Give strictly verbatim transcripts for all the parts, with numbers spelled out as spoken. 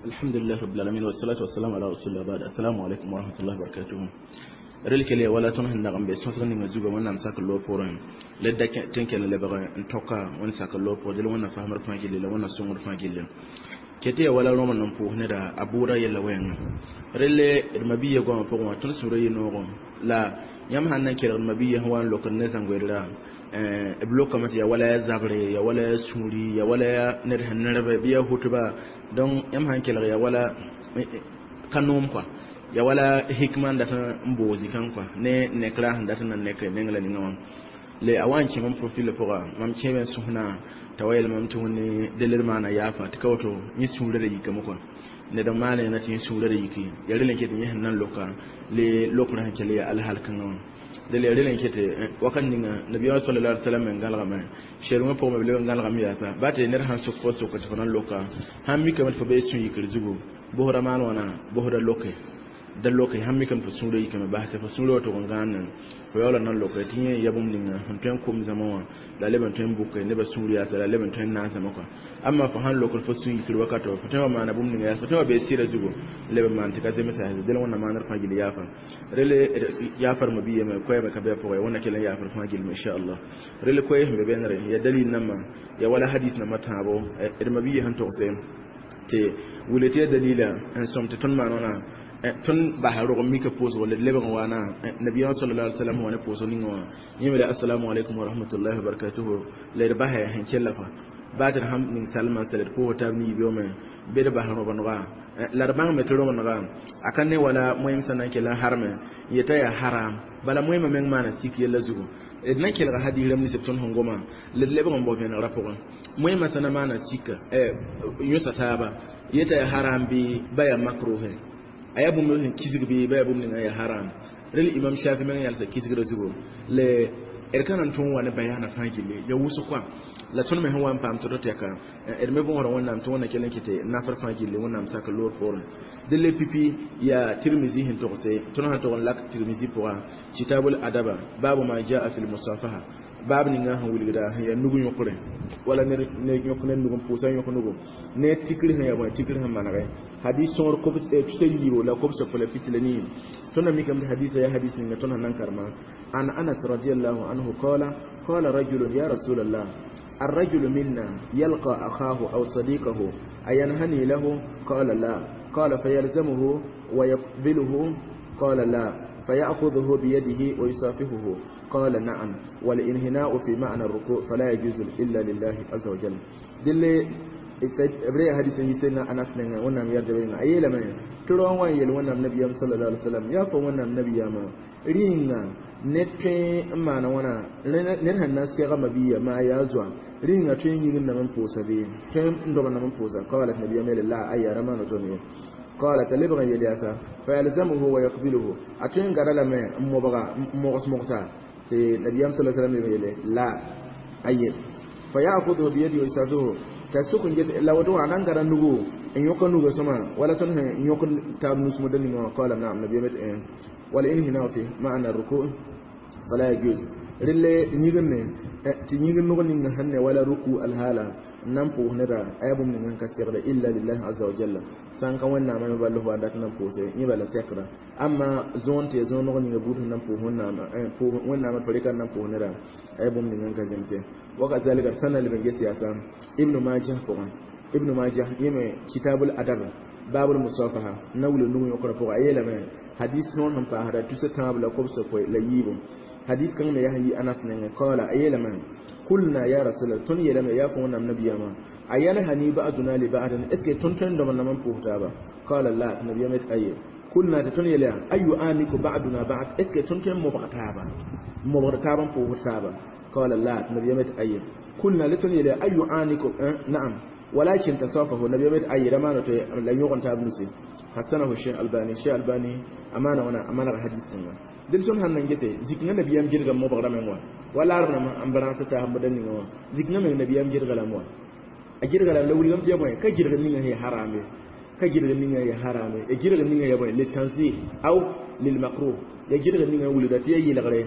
الحمد لله رب العالمين والصلاة والسلام على رسول الله بعد السلام عليكم ورحمة الله وبركاته rel kele wala tõnd sẽn dag n be sõsg ninga zugã wẽnnaam sak loog poorẽ la da tẽn kell n lebg n toka wẽnd sak loog pʋgẽ dẽla wẽnnaam faamd fãa gilli la wẽnnaam sõngd fãa gilli ket ya wala rõm n pʋʋs neda a bʋʋda yɛla wɛɛngã relle d mabiya goamã pʋgẽ wã tõnd sũurã yɩ noogẽ la yãmb sãn na n kelgd mabiya sẽn wa n lokd ne zãngoeedra b lokame tɩ ya wala ya zabre ya wala ya sũuri ya wala ya ned sẽn nerbe bɩ ya hʋtba donc yãmb sãn kelg ya wala ka noom kɔa ya wala hikma n dat n boog zikã kɔa ne nekra sẽn dat n na nek neng la ninga wã le a wa n kẽ mam profil pʋga mam kẽeme n sõsna t'a wa yeel mam tɩ wẽnde delr maana yaafa tɩ ka woto yẽ sũurã da yikame kɔa ned n maan na tɩ yẽ sũurã da yiki ya rel n ket yẽ sẽn na n loka le lokrã sẽn kell ya alhal kãngã wã dele rel n ket wakat ninga nabiyaamã sallallahu alaihi wasallam n gãlgame sɛrmã pʋgẽ b leb n gãlgame yaasa ba tɩ ned sãn sok fo soka tɩ fo na n loka sãn mikame tɩ fo bee sũ-yikr zugu bosda maan wãna bosda loke da loke sãn mikame tɩ fo sũurã yikame bas tɩ fo sũurã wa tʋg n gãane fo yaoola na n loke tɩ yẽ ya bũmb ninga sẽn tõe n kom zãma wã la leb n tõe n bʋke nebã sũur yaasa la leb n tõe n naasame kɔa amma fo sãn lokd fo sũ-yikr wakato fo tõe wa maana bũmb ninga yaasa fo tõe wa bee sɩda zugu leb n maan tɩ ka zemsa del wẽnna maanr fãa gill yaafa rele yaafar ma biyame koɛɛmã ka bɩ a pʋgẽ wẽnna kell n yaafr fãa gilme inchallah rele koɛɛ sẽn be bẽnegre ya dalil nambã ya wala hadis nambã tãabo d ma biya sẽn togse tɩ wile tɩ ya dalila n sõm tɩ tõnd maan wãna tõnd basa rog n mika pʋʋsgo la d lebg n waana nabiyaamã sallallahu alaihi wasallam wa ne pʋʋsg ninga wã yẽ me assalamu alaikum wa rahmatullahi wa barakatuhu la d basa sẽn kella fa baa tɩ d sãn ning salmã sã d pʋʋs taab ne yibeoome bɩ d bas rõbengã la d bãngme tɩ rõbengã a ka ne wala moẽm sẽn na n kell n harme n yeta yaa haram bala moẽmã meng maana sik yella zugu d na n kelga hadis rãmb nins b tõnd sẽn goma la d lebg n bao vẽnegrã pʋgẽ moẽmã sã na maana sika yõsa taaba yeta yaa haram bɩ ba yaa makruhe a yaa bũmb sẽn kisg bɩ ba yaa bũmb ninga yaa haram rel imam shafi meng yalsa kisgrã zugu le d ka na n tõog n wa ne bayaana fãa gilli ya wʋsg kɔa la tõnd me sẽn wa n paam tɩ tɛka d me võosda wẽnnaam tɩ wẽnna kell n kɩtɩ nafr fãa gilli wẽnnaam sak loor poorẽ dẽ le pipi yaa tirmizi sẽn togse tõnd sãn tog n lak tirmizi pʋga kitabul adaba baabu ma jaa fi lmusafaha baab ninga sẽn wilgda sẽn yaa nug yõkre wala ned yõk ne nug n pʋʋsa yõk nugu ne tikr sẽn yaa bõe tikr sẽn manege hadis sõor tusa yiibo la kobsa fo la pis la nii tõnd na mikame tɩ hadisa yaa hadis ninga tõnd sẽn na n karema an anas radiallahu anhu qala qala rajulun ya rasul allah الرجل منا يلقى أخاه أو صديقه أينهني له قال لا قال فيلزمه ويقبله قال لا فيأخذه بيده ويصافحه قال نعم والإنهناء في معنى الركوع فلا يجوز إلا لله عز وجل دل bre hadis yi sai na anas ne wannan yarda bai na ayela mai turo wan yel wannan nabiyam sallallahu alaihi wasallam ya fa wannan nabiya ma ringa ne twe maana wãna ned sẽn na n sɛga mabiya maa yaa zoa rĩnga tõe n yĩngd nam n pʋʋsa bee tõe n dobd nam n pʋʋsa qala tɩ nabiyam yeele la aya ra maana tõnd ye qala t'a lebg n yel yaasa fayalzamuhu wa yaqbiluhu a tõe n gada lame n mobga n mogs mogsa tɩ nabiyam sa sallam leb n yeele la aye fayakhudhu biyadihi wa yusafihu t'a sʋk n ges la woto wã a na n gada nugu n yõka nuga sõma wala tõnd sẽn yõk taab nus-moda ninga wã qala naam nabiyam tɩ والانهناء في معنى الركوع فلا يجوز relle yĩgenne tɩ yĩgr nog ninga sẽn ne wala ruku alhaala n na n pʋʋs neda a yaa bũmb ning n ka segda illa lillahi aza wa jalla sã n ka wẽnnaamã me ball f wa dat n na n pʋʋse yẽ bala sɛkra amma zõon tɩ ya zõon nog ninga buud sẽn na n pʋʋs wẽnnaamã tɩ rɩka n na n pʋʋs neda a yaa bũmb ning n ka zemse wakazalika d sã na leb n ges yaasa ibnu majah pʋgẽ ibnu majah yẽ me kitabul adab babul musafaha na wula nug yõkra pʋgã a yeelame hadis sõor sẽn paasda tusa tãab la kobsa koe la yiibu hadis kãng me yaa yi anas nengẽ qaala a yeelame kulna ya rasulallah tõnd yeelame yaa fo wẽnnaam nabiyamã a yanhani ba'duna li ba'din est ce que tõnd tõe n dõm n nam n pʋʋs taaba qala la tɩ nabiyam tɩ aye kulna tɩ tõnd yeela ayu aniku ba'duna ba'd est ce que tõnd tõe n mobg taaba mobgd taab n pʋʋsd taaba qala la tɩ nabiyam tɩ aye kulna la tõnd yeela ayu aniku na'am ولكن تصافه النبي مت أي رمان لا يغن تاب نسي حسنه الشيخ الباني الشيخ الباني أمانة وانا أمانة حديث سنة دل سن هن نجسي ذكنا النبي أم جرغ مو بغرا من وا ولا عربنا ما أم برانس تاه مدني وا ذكنا من النبي أم جرغ لام وا أجرغ لام لو لم تيا بوي كجرغ نينا هي حرامي كجرغ نينا هي حرامي أجرغ نينا يا بوي للتنزيه أو للمكروه ya girga ninga wulda tɩ ya yɩlgre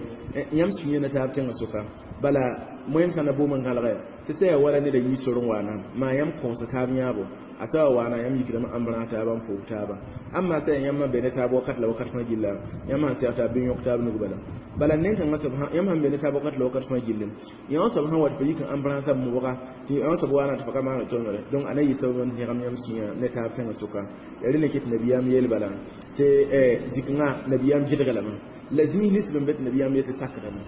yãmb sũ na taab tẽngã sʋka bala moẽm sã na boom n gãlgɛ tɩ sã yaa wala neda yi sor n waana maa yãmb kõos taab yãabo asa wana yam yikdame ãmb rã taaba n pʋʋg taaba amma sã yãmb be ne taab wakat la wakat fãa gilla yãmb sãn sɛg taab bɩ yõk taab nug bala bala nen-kãngã soab yãmb sãn be ne taab wakat la wakat fãa gilli yã soab sãn wat fo yik n ãmb rãasã mobga tɩ yã soab waana tɩ fo ka maana tõngre donc a na yɩ sabab n tẽgem yãmb sũyã ne taab tẽngã sʋka ya rẽ ne ket nabiyaam yeel bala tɩ zikngã nabiyaam gɩdga lame la zĩig nins b be tɩ nabiyaam yetɩ sakdame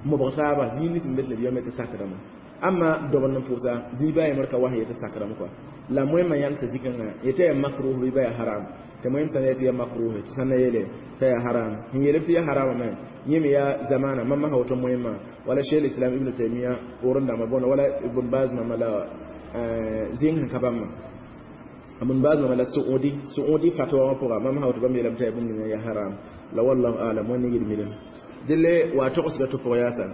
mobg taaba zĩig nins b be tɩ nabiyaam yetɩ sakdame amma dobr n pʋʋsa zĩig baa yembr ka was yetɩ sakdame kɔa la moẽmã yãmsa zikãngã yetɩ yaa makruh bɩ ba yaa haram tɩ moẽm sã n yetɩ yaa makruh tɩ sã n na yeele t'a yaa haram sẽn yeelb tɩ yaa haramame yẽ me yaa zamana mam masã woto moẽmã wala cheikh islam ibn taimia poorẽ dãmbã bõna wala ibn baz mama la zĩng sẽn ka bãmbã ibn baz mama la suudi suudi fatwa wã pʋga mam masã woto bãmb yeelame t'a yaa bũmb ninga yaa haram la wallahu alam wẽnd yɩl milem delle wa togsga tɩ pʋg yaasa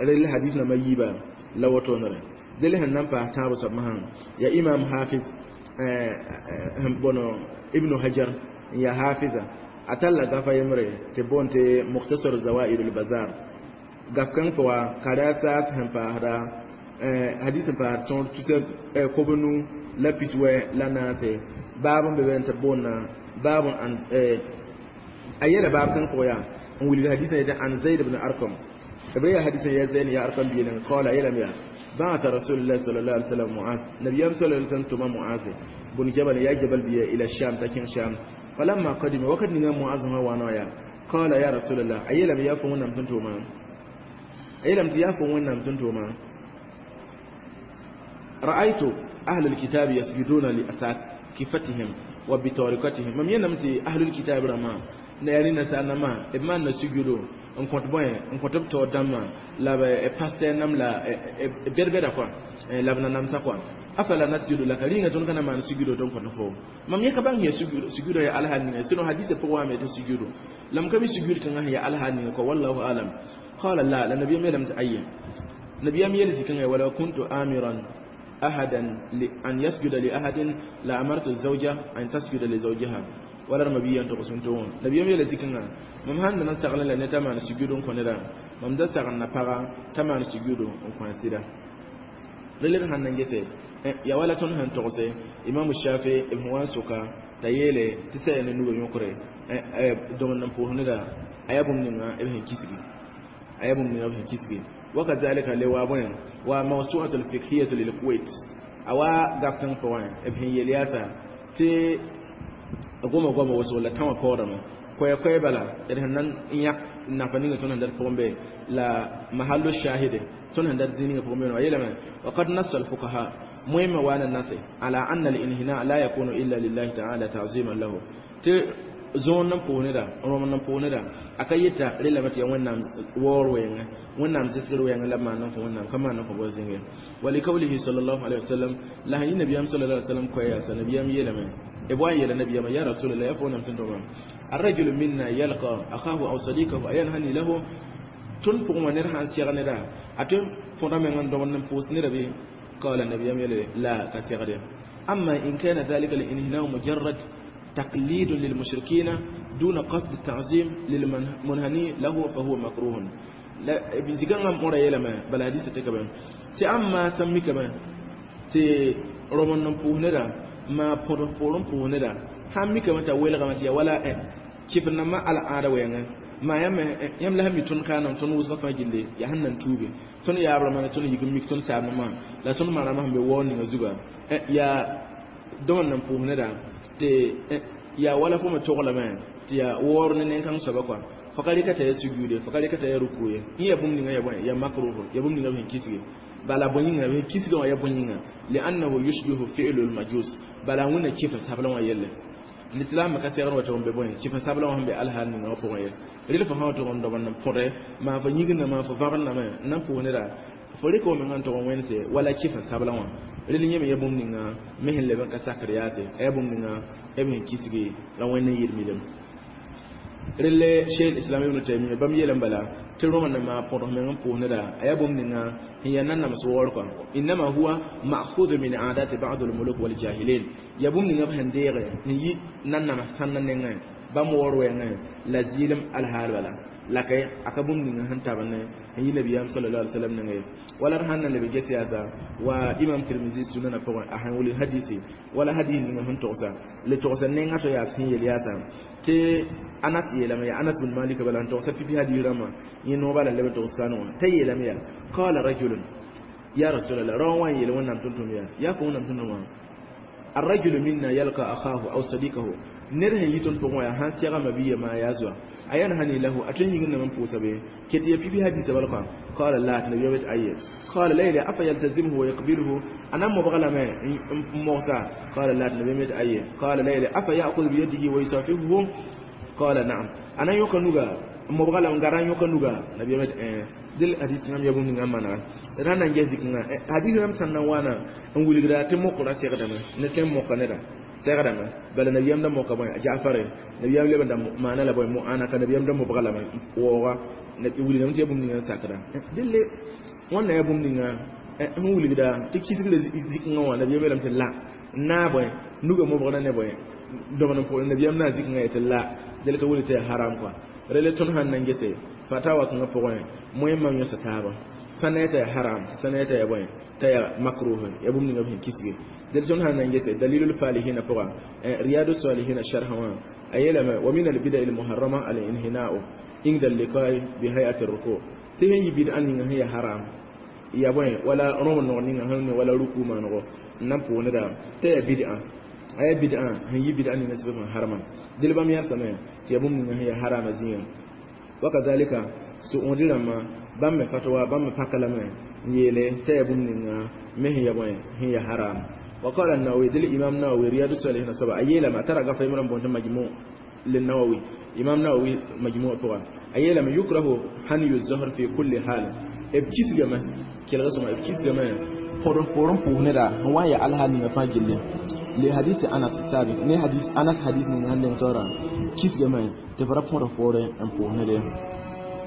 rel hadith namba yiiba la wotonere delle sẽn na n paas tãabo soab masã ya imam hafiz bõno ibnu hajar n ya hafiza a talla gafa yembre tɩ boon tɩ mukhtasar zawaid al bazar gaf kãng pʋga ka ra saas sẽn paasda hadis sẽn paasd tõor tusa kob-nu la piswɛ la naase baab n be be tɩ boonna baab a yɛla baab kãng pʋgã yaa n wilg hadisã yetɩ an zaid ibn arkam بيا حديث يا زين يا أرقم بيلن قال يلم يا بعث رسول الله صلى الله عليه وسلم معاذ نبي صلى الله عليه وسلم تما معاذ بن جبل يا جبل بيا إلى الشام تكين شام فلما قدم وقد نغا معاذ ما وانا يا قال يا رسول الله أيلم يا فون نم تنتوما أيلم يا فون نم تنتوما رأيت أهل الكتاب يسجدون لأساكفتهم وبطريقتهم مم ينمتي أهل الكتاب رما يعني نسألنا ما إما نسجدوا n kõt bõe n kõt b taoor dãmbã la b pasteur nam la bɛd-bɛda kɔa la b na namsã kɔa afala nasjudu laka rĩnga tõnd ka na maan sujudo tõnd kõt fo mam yẽ ka bãng ya sujudo ya alhal ninga sinon hadisa pʋgẽ wame tɩ sujudo la m ka mi sujud kãngã sẽn ya alhal ninga kɔa wallahu alam qala la la nabiyam yeelame tɩ aye nabiyam yeel zikãngã wala kuntu amiran أحدا أن يسجد لأحد لأمرت الزوجة أن تسجد لزوجها wala ma biyan to sun to nabiyam yela zikanga mam han nan saglan la ne ta man sujudu ko ne da mam da saglan na paga ta man sujudu ko sida lele han nan gese ya wala ton han to se imam shafi ibn wan suka ta yele ti sai ne nugo yokore don nan po ne da ayabum ninga ibn kisigi ayabum ninga ibn kisigi وكذلك لوابن وموسوعة الفقهية للكويت أوا غافتن فوان ابن يلياسا تي goma goma wasu la tãwã paoodame koɛ-koɛ bala d sẽn na n yãk nafa ninga tõnd sẽn dat pʋgẽ be la mahallo shahide tõnd sẽn dat zĩ ninga pʋgẽ be wã yeelame وقد نص الفقهاء مهم وانا النص على أن الانحناء لا يكون إلا لله تعالى تعظيما له tɩ zoon nan pʋʋs neda rõm nan pʋʋs neda a ka yeta relame tɩ yaa wẽnnaam waoor wɛɛngã wẽnnaam zɩsgr wɛɛngã la maan n kõ wẽnnaam ka maan n kõ bɔ zĩnge ولقوله صلى الله عليه وسلم la sẽn yɩ nabiyaam صلى الله عليه وسلم koɛ yaasa nabiyaam yeelame إبوان يلا نبي يا رسول الله يفون أم الرجل منا يلقى أخاه أو صديقه أينهني له تون فوق من نرها سيغ نرا أتم فورا من دون نفوس نربي قال النبي يلا لا كسيغ أما إن كان ذلك الانهناء مجرد تقليد للمشركين دون قصد التعظيم للمنهني له فهو مكروه لا بزيغان مورا يلا ما بل حديث تكبر تي أما سمي كما تي رومان نفوس نرا ma põd poorẽ pʋʋs neda sãn mikame t'a welgame tɩ ya wala kɩf nambã al-ãada wɛɛngã maa yãmb yãmb la sẽn mi tõnd kaanam tõnd wʋsgã fãa gilli yaa sẽn nan tuuge tõnd yaabrãmã la tõnd yik n mik tõnd saabnãmã la tõnd marãmã sẽn be waoor ninga zuga yaa dõm n nan pʋʋs neda tɩ yaa wala fo me toglame tɩ yaa waoor ne nen-kãng soaba kɔa fo ka rɩka t'a ya sujuude fo ka rɩka t'a ya ruku ye yẽ yaa bũmb ninga ya bõe yaa makruh ya bũmb ninga b sẽn kisge bala bõe yĩnga b kisgã wã ya bõe yĩnga لأنه يشبه فعل المجوس bala wẽnna kɩf sablã wã yelle l'islam ka segd wa tɩg n be bõe kɩf sablã wã sẽn be alhaal ninga wã pʋgẽ ye rel fo sã wa tɩg n dob n põde maa fo yĩgndã maa fo vãgendame n na n pʋʋs neda fo rɩka menga n tʋg n wẽnse wala kɩf sablã wã rel yẽ me ya bũmb ninga me sẽn leb n ka sakr yaase a yaa bũmb ninga b sẽn kisgi la wẽnd n yɩl milem relle cheikh islam ibn taymiya bãmb yeelame bala tɩ rõma na maa põdg meng n pʋʋs neda a yaa bũmb ninga sẽn yaa nanams waoor kɔa إنما هو مأخوذ من عادات بعض الملوك والجاهلين yaa bũmb ninga b sẽn deege n yi nanams sãnda nengẽ bãmb waoor wɛɛngẽ la zɩɩlem alhaal bala la ka a ka bũmb ninga sẽn tab ne n yi nabiyam sallallahu alaihi wasallam nengẽ wala d sãn na leb n ges yaasa wa imam tirmisi sunana pʋgẽ a sẽn wilg hadisi wala hadis ninga sẽn togsa le togsa nenga to yaa sẽn yel yaasa tɩ anas yeelame yaa anas bin malik bala n togsa pipi hadis rãmbã yẽ nooba la leb n togs sãn wã t'a yeelame yaa qala rajulun ya rasulallah rao wã n yeel wẽnnaam tʋm-tʋm yaa yaa fo wẽnnaam tʋm-tʋm wã الرجل منا يلقى أخاه أو صديقه نره يتون بقوا يا هان سيغا مبيه ما يازوا أيان هني له أتن يغن من بوسا به كتي في بي حديث بالقا قال لا النبي يبت أي قال ليلى أفيلتزمه ويقبله أنا مبغلا ما موسى قال لا النبي يبت أي قال ليلى أفيأخذ بيده ويصافحه قال نعم أنا يوكنوغا مبغلا ngara yokanuga nabi yabet eh dil hadith ngam yabum ni ngam mana rana nge ziknga hadith ngam sanna wana n wilgra te mokra segdame ne tem mokka neda segdame bala nabi yam da mokka boy jaafar nabi yam leba da mana la boy mu ana ka nabi yam da mobgala ma woga nabi wilgra te yabum ni ngam sakra dille wonna yabum ni ngam n wilgra te kisgre ziknga wa nabi yam lam te la na boy nuga mobgala ne boy domanan po nabi yam na ziknga te la dil ka wuli te haram quoi rele tõnd sãn na n gese fatawa kãngã pʋgẽ moẽmam yõsa taaba sã na t'a yaa haram sã na t'a yaa bõe t'a yaa makruh ya bũmb ninga b sẽn kisge del tõnd sãn na n gese dalilul falihina pʋga riyadu salihina sharha wã a yeelame wa min albida almuharrama alinhina'u inda alliqai bi hay'ati ruku tɩ sẽn yɩ bid'a ninga sẽn yaa haram ya bõe wala rõm nog ninga sẽn ne wala ruku maanego n na n pʋʋneda t'a yaa bid'a aya bid'a sẽn yɩ bid'a ninga sɩbg sẽn harama del bãmb yãrsame tɩ yaa bũmb ninga sẽn yaa harama zĩigã wakazalika su'udi rãmbã bãmb me fatwa bãmb me paka lame n yeele t'a yaa bũmb ninga me sẽn ya bõe sẽn yaa haram wa qala an-nawawi del imam nawawi riyadu salihin soaba a yeelame a tara gafa yembr n boond tɩ majmu للنووي إمام نووي مجموع بقى أيلم يكره هني الزهر في كل حال إبكيس جمع كلا سما إبكيس جمع فورن فورن بوهنرا هو يا الله نيغا فاجل لحديث أنس السابق ne hadis Anas hadis ninga handen tora kis gama te fara pɔrɔ pɔrɛ n pʋʋsnede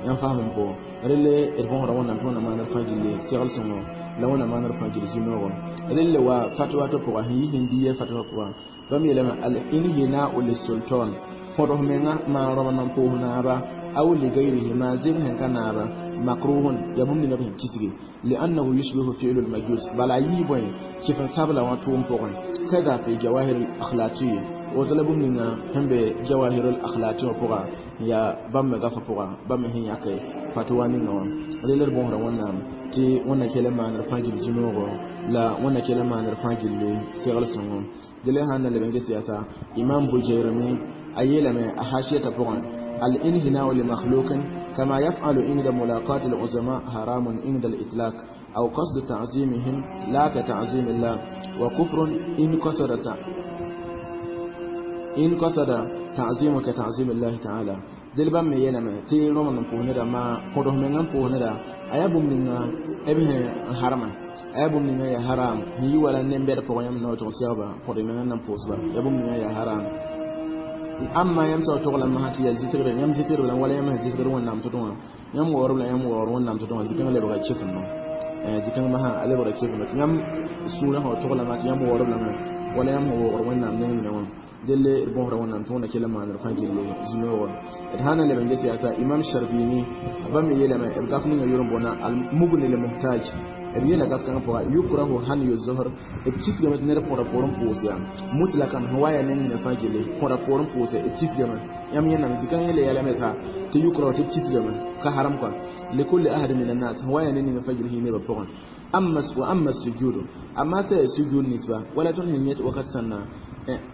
yãmb faam n pʋgɔ relle d võosda wẽnnaam tɩ wẽnnaam maanr fãa gilli segl sõngo la wẽnnaam maanr fãa gil zu-noogɔ relle wa fatwa tɩ pʋga sẽn yi sẽn diya fatwa pʋga bãmb yeelame al inhina'u lissultan põds menga maan rõm n pʋʋs naaba aw ligayrihi maa zɩg sẽn ka naaba makruhun yaa bũmb ninga b sẽn kisge li'annahu yushbihu fi'lu lmajus bala a yii bõe kɩf n sabla wã tʋʋm pʋgẽ kada fi jawahir al-akhlati woto la bũmb ninga sẽn be jawahir al-akhlati wã pʋga yaa bãmb me gafa pʋga bãmb me sẽn yãke fatwa ninga wã rel d bõosda wẽnnaam tɩ wẽnna kell n maanr fãa gill zu-noogo la wẽnna kell n maanr fãa gilli segl sõngo dele sãn na leb n ges yaasa imam bujayrmi a yeelame a hashiyata pʋgẽ الانهناء لمخلوق كما يفعل عند ملاقاة العظماء حرام عند الإطلاق أو قصد تعظيمهم لا كتعظيم الله وكفر إن قصد إن قصد تعظيم كتعظيم الله تعالى دل بام يلما تي رومان بوهندا ما قده من بوهندا أيا بومنينا أبيه حرام أيا بومنينا يا حرام هي ولا نمبر بويام نو تونسيابا قده من نم بوسبا يا بومنينا يا حرام amma yãmb sao togla masã tɩ yaa zɩsgre yãmb zɩsgr la wala yãmb sẽn zɩsgr wẽnnaam tɩ wã yãmb waoorb la yãmb waoor wẽnnaam tɩ wã zikãng lebga kɩfno zikãng masã a lebga kɩfno tɩ yãmb sũurã sã togla tɩ yãmb waoorb lame wala yãmb sẽn waoogr wẽnnaam neng mina wã delle d bõosda wẽnnaam tɩ wẽnna kell n maanr fãa gilli zu-noogɔ d sã na leb n ges yaasa imam sharbini bãmb me yeelame b gaf ninga yʋr n boona al-mugni lmuhtaj b yeela gaf kãngã pʋga yukrahu hanyu zuhr b kisgame tɩ ned põda poorẽ pʋʋs yaa mutlakan sẽn wa yaa neng nina fãa gilli põda poorẽ pʋʋse b kisgame yãmb yẽname zikãng yẽle yɛlame t'a tɩ yukrahu tɩ b kisgame ka haram kɔa likulli ahad min annas sẽn wa yaa neng ninga fãa gilli sẽn nebã pʋgẽ amma wa amma sujudu amma sai sujud nisba wala tõnd sẽn yẽ wakat sãnna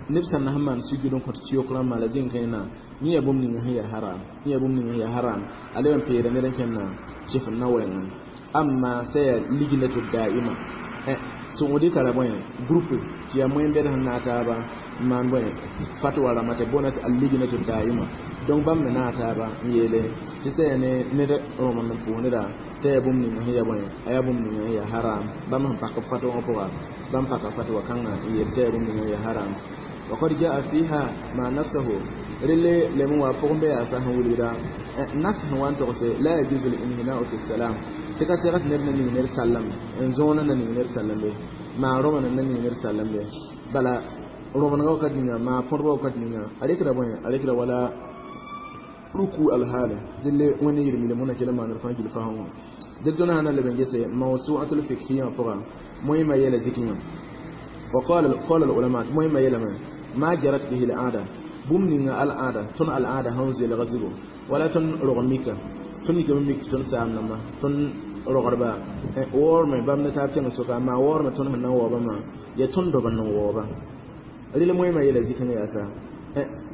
neb sãn na sẽn maan sujud n kõt tɩ yok rãmbã la zĩng kẽena yẽ yaa bũmb ninga sẽn yaa haram yẽ yaa bũmb ninga sẽn yaa haram a leb n peera ned n kẽnna kɩf n na wɛɛngẽ amma sai lignatu da'ima sũudi tara bõe groupe tɩ yaa moyen-bɛd sẽn naag taaba n maan bõe fatwa rãmbã tɩ boona tɩ al-lignatu da'ima donc bãmb me naag taaba n yeele tɩ sã yaa ne ned rõm n pʋʋs neda t'a yaa bũmb ninga sẽn yaa bõe a yaa bũmb ninga sẽn yaa haram bãmb sẽn pak b fatwa wã pʋga bãmb paka fatwa kãngã n yeel t'a yaa bũmb ninga sẽn yaa haram وقد جاء فيها ما نصه رلي لم وافق بها سهل ولدا نص هو أن تغسي لا يجوز الانهناء في السلام تكسرت نبنا نينير سلم انزونا نينير سلم به ما روما نينير سلم به بلا روما وقت نينا ما فروا وقت نينا عليك ربنا عليك ولا ركوع الحال دل وين يرمي لمنا كلمة نرفع جل فهم Dɩ tõnd sã na leb n gese mawsu'atul fiqhiyya pʋga moẽmã yɛla zikĩngã وقال قال العلماء مهم يلما ما جرت به العادة bũmb ninga al'aada tõnd al'aada sẽn zoelga zugu wala tõnd rog mika tõnd yikame mik tɩ tõnd saam namba tõnd rogdba waoorme bãmb ne taab kẽng soka maa waoorme tõnd sẽn na n waoobã maa yaa tõnd dob n n waooba rel moẽmã yeela zikẽngã yaa sa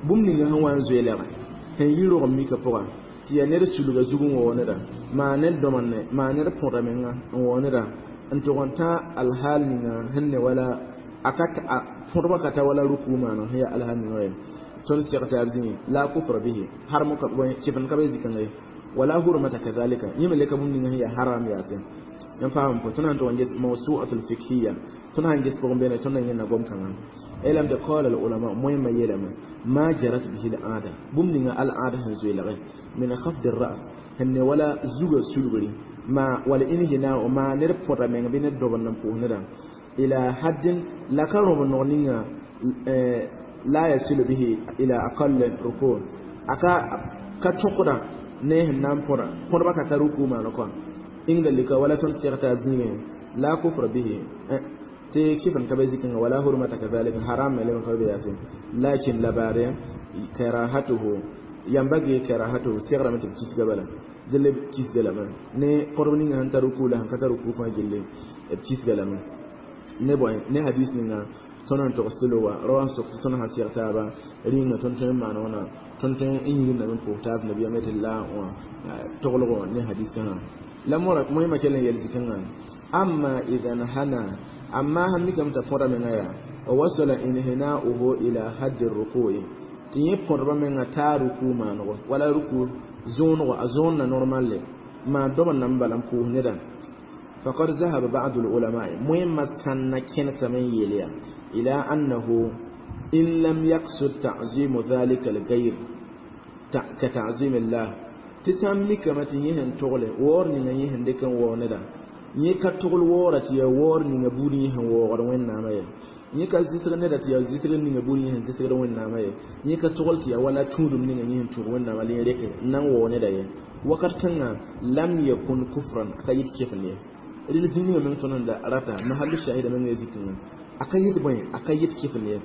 bũmb ninga sẽn wa n zoeelge sẽn yi rog mika pʋga tɩ yaa ned sulga zug n waoog neda maa ned dõmenne maa ned põda menga n waoog neda n tʋg n tã alhaal ninga sẽn ne wala a ka põdbã ka ta wala ruku maana sẽn yaa alhaal ninga wɛ tõnd seg taab zĩig la kufra bihi harm kɩfn ka be zikãngã ye wala hurmata kadhalika yẽ me le ka bũmb ninga sẽn yaa haram yaase yãmb paam pʋ tõnd sãn tʋg n ges mawsu'atul fiqhiya tõnd sãn ges pʋgẽ beene tõnd na yẽnna gom kãngã elam de qala al ulama moẽmã yeelame ma jarat bihi al aada bũmb ninga al aada sẽn zoeelge min khafd ar ra's sẽn ne wala zuga sulgri ma wala inhinao ma ned põta meng bɩ ned dob n n pʋʋs nedã ila haddin la ka rõb nog ninga la yasilu bihi ila aqall ruku aka ka tõkda ne sẽn na n põda põdbã ka ta ruku maana kɔa inda lika wala tõnd seg taab zĩigẽ la kufra bihi tɩ kɩfn ka be zikẽngã wala hurmata kadhalika haram me leb ka be yaase lakin la baare karahatuhu yambagi karahatuhu segrame tɩ b kisga bala dɩl b kisga lame ne põdb ninga sẽn ta ruku la sẽn ka ta ruku fãa gilli b kisga lame ne bõe ne hadis ninga tõnd n togs tɩ wa rawa n sok tɩ tõnd sã seg taaba rĩnga tõnd tõe n maan wãna tõnd tõe n yĩgindame n pʋʋs taab nabiyaam tɩ la wã toglgɔ ne hadis kãngã la mora moẽmã kell n yel zikãngã amma idan hana amma sãn mikame t'a põda menga yaa wa wasala inhina'uhu ila haddi ruku'i tɩ yẽ põdbã menga taa ruku maanego wala ruku zõonego a zõonna normalle maa dob n nan bala n pʋʋs nedã فقد ذهب بعض العلماء مهم كان كنس من يليا إلى أنه إن لم يقصد تعظيم ذلك الغير كتعظيم الله تسمي كما تيهن تغلي وور نيغا يهن ديكن وور yẽ ka togl waoora tɩ yaa waoor ninga buud yẽ sẽn waoogd wẽnnaamã ye yẽ ka zɩsg neda tɩ yaa zɩsgr ninga buud yẽ sẽn zɩsgd wẽnnaamã ye yẽ ka togl tɩ yaa wala tũudum ninga yẽ sẽn tũud wẽnnaamã la yẽ reke n na n waoog neda ye wakat kãngã lam yakun kufran a ka yit kefn ye rel zĩ ninga meng tõnd sẽn da rata mahallu shahida meng ya zikĩngã a ka yit bõe a ka yit kefn ye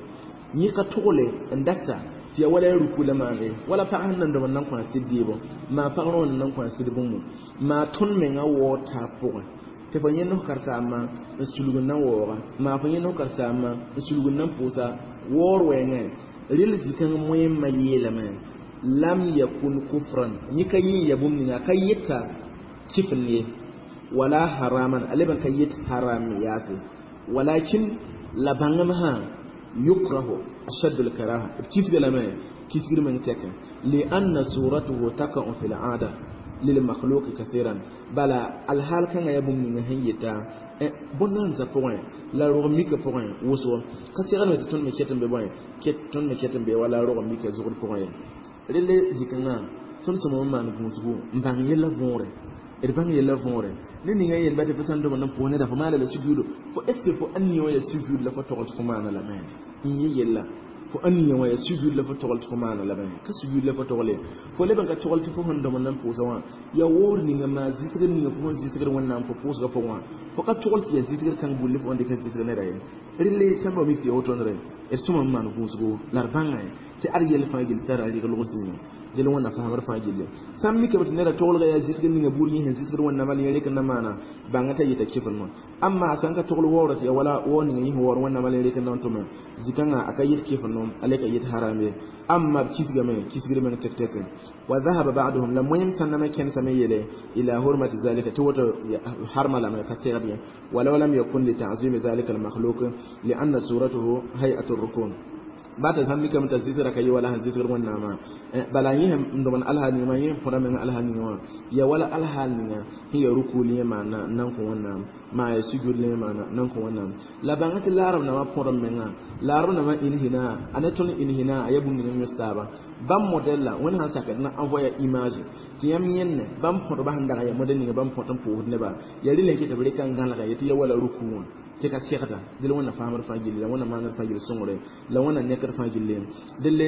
yẽ ka togle n data tɩ yaa wala ya ruku la maane wala pag sẽn nan dõm n nan kõ a sɩd deebo maa pag rõ n nan kõ a sɩd bũmbu maa tõnd menga waoog taab pʋgẽ tɩ fo yẽ nos karsaambã n sulg n na n waooga maa fo yẽ nos karsaambã n sulg n na n pʋʋsa waoor wɛɛngẽ rel zikãng moẽmã yeelame lam yakun kufran yẽ ka yẽ ya bũmb ninga a ka yeta kifn ye wala haraman a leb n ka yet haram yaase walakin la bãngem sã yukrahu ashaddu lkaraha b kisga lame kisgr meng tɛkẽ lianna suratuhu takau fi laada lilmakhluqi kathiran bala alhaal kãngã yaa bũmb ninga sẽn yeta bõn-nansã pʋgẽ la rog mika pʋgẽ wʋsgo ka segdme tɩ tõnd me ket n be bõe tõnd me ket n be wala rog mika zʋgd pʋgẽ ye rele zikãngã tõnd sõma n maan gũusgu n bãng yella võore d bãng yella võore ne ninga yel ba tɩ fo sãn dõm n pʋʋs neda fo maana la sujuudo fo est ce que fo ãn wã yaa sujuud la fo togl tɩ fo maana lame n yẽ yella fo ãn wã yaa sujuud la fo togl tɩ fo maana lame ka sujuud la fo togle fo leb n ka togl tɩ fo sẽn dõm n pʋʋsa wã yaa woor ninga maa zɩsgr ninga fo sẽn zɩsgr wẽnnaam fo pʋʋsgã pʋgẽ wã fo ka togl tɩ yaa zɩsgr kãng bulle fo n dɩk n zɩsg neda ye relle sãmba mik tɩ ya wotõndre d sõma n maan gũusgo la d bãnga tɩ ad yell fãa gill tara rɩg log zĩigẽ dẽl wẽnna faamd fãa gilli sãn mikame tɩ neda toglga yaa zɩsgr ninga buud yẽ sẽn zɩsgd wẽnnaamã la yẽ rek n na maana bãnga t'a yeta kɩfenmã amma a sãn ka togl waoora tɩ yaa wala waoor ninga yẽ sẽn waoor wẽnnaamã la yẽ rek n na n tʋme zikãngã a ka yet kɩfennom a le ka yet haram ye amma b kisgame kisgr meng tek tek wa dhahaba ba'duhum la moyem sãnname kẽnsame yeele ila hurmati zalika tɩ woto harma lame ka segd ye walaw lam yakun li ta'zimi zalika almakhluq lianna suratuhu hay'atu rukun bata sãn mikame t'a zɩsgra ka yɩ wala sẽn zɩsgd wẽnnaamã bala yẽ sẽn dõmd alhaal ninga maa yẽ sẽn põda meng alhaal ninga wã ya wala alhaal ninga sẽn ya rukul yẽ maana n nan kõ wẽnnaam maa ya sujud yẽ maana n nan kõ wẽnnaam la bãnga tɩ laarb nambã põdem menga laarb nambã inhina a ne tõnd inhina a yaa bũmb ninga yõs taaba bãmb modɛl la wẽnd sãn sakd na envoya image tɩ yãmb yẽnne bãmb põdba sẽn dag n yaa modɛl ninga bãmb põt n pʋʋsd neba yaa rɩla n ket b reka n gãlga yetɩ ya wala ruku wã tɩ ka segda dɩl wẽnna faamd fãa gilli la wẽnna maaned fãa gill sõngre la wẽnna nekd fãa gilli delle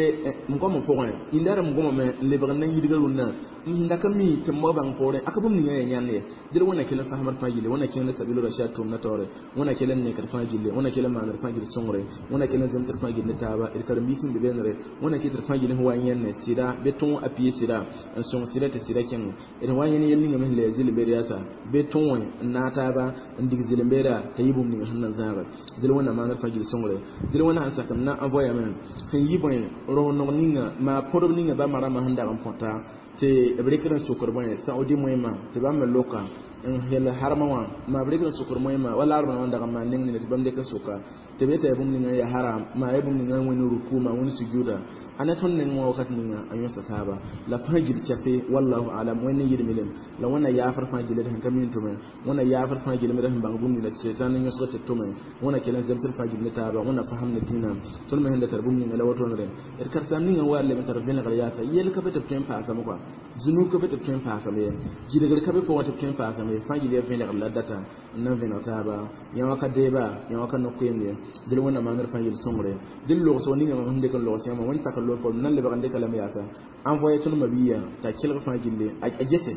m goamã pʋgẽ yĩndaarã m gomame n lebg n na n yidga rũnnã n da ka mi tɩ m bao bãng poorẽ a ka bũmb ninga yaa yãnd ye dɩl wẽnna kell n faamd fãa gilli wẽnna kẽng ne sabilo rashad tʋʋmdã taoore wẽnna kell n nekd fãa gilli wẽnna kell n maaned fãa gill sõngre wẽnna kell n zemsd fãa gill ne taaba d karen-biis n be beenre wẽnna kɩt d fãa gill sẽn wa n yẽnne sɩda bɩ tõog a pie sɩda n sõng sɩda tɩ sɩda kẽng d wa n yẽnd yel ninga me sẽn le ya zɩl-beed yaasa bɩ tõog n naag taaba n dig zɩl-beeda t'a yɩ bũmb ninga sẽn na zãage dɩl wẽnna maaned fãa gill sõngre dɩl wẽnna sẽn sak n na n voyame sẽn yi bõe rao-nog ninga maa pʋdb ninga bãmba rãmbã sẽn dag n põta tɩ b rɩkd n sokd bõe saoodi moẽmã tɩ bãmb me loka n hel harmã wã maa b rɩkd n sokd moẽmã wa laarb wã n dag n maan neng nina tɩ bãmb dɩk n soka tɩ b yeta yaa bũmb ninga n yaa haram maa yaa bũmb ninga n wẽnd ruku maa wẽnd sujuda a tõnd neng wã wakat ninga a yõsa taaba la fãa gill chape wallahu alam wẽnd yɩl milem la wẽnna yaafr fãa giled sẽn ka min tʋme wẽnna yaafr fãa gilmd sẽn bãng bũmb ninga tɩ sɛtãn n yõsg tɩ tʋme wẽnna kell n zemsd fãa gil ne taaba wẽnna fasem ne dĩinã tõnd me sẽn da tar bũmb ninga la wotonre d karen-saam ninga n wa leb n tar vẽnegr yaasa yell ka be tɩ b tõe n paasame kɔa zunub ka be tɩ b tõe n paasame ye gilgr ka be pʋgẽ tɩ b tõe n paasame ye fãa gil yaa vẽnegr la data n na n vẽneg taaba yã wã ka deeba yã wã ka no-koeemd ye dɩl wẽnna maanr fãa yel sõngre dɩl logsgo ninga mam sẽn dɩk n logs yãmba wẽnd sak n loog n na n lebg n dɩka lame yaasa envoyé tõnd mabiya t'a kelg fãa gilli a gese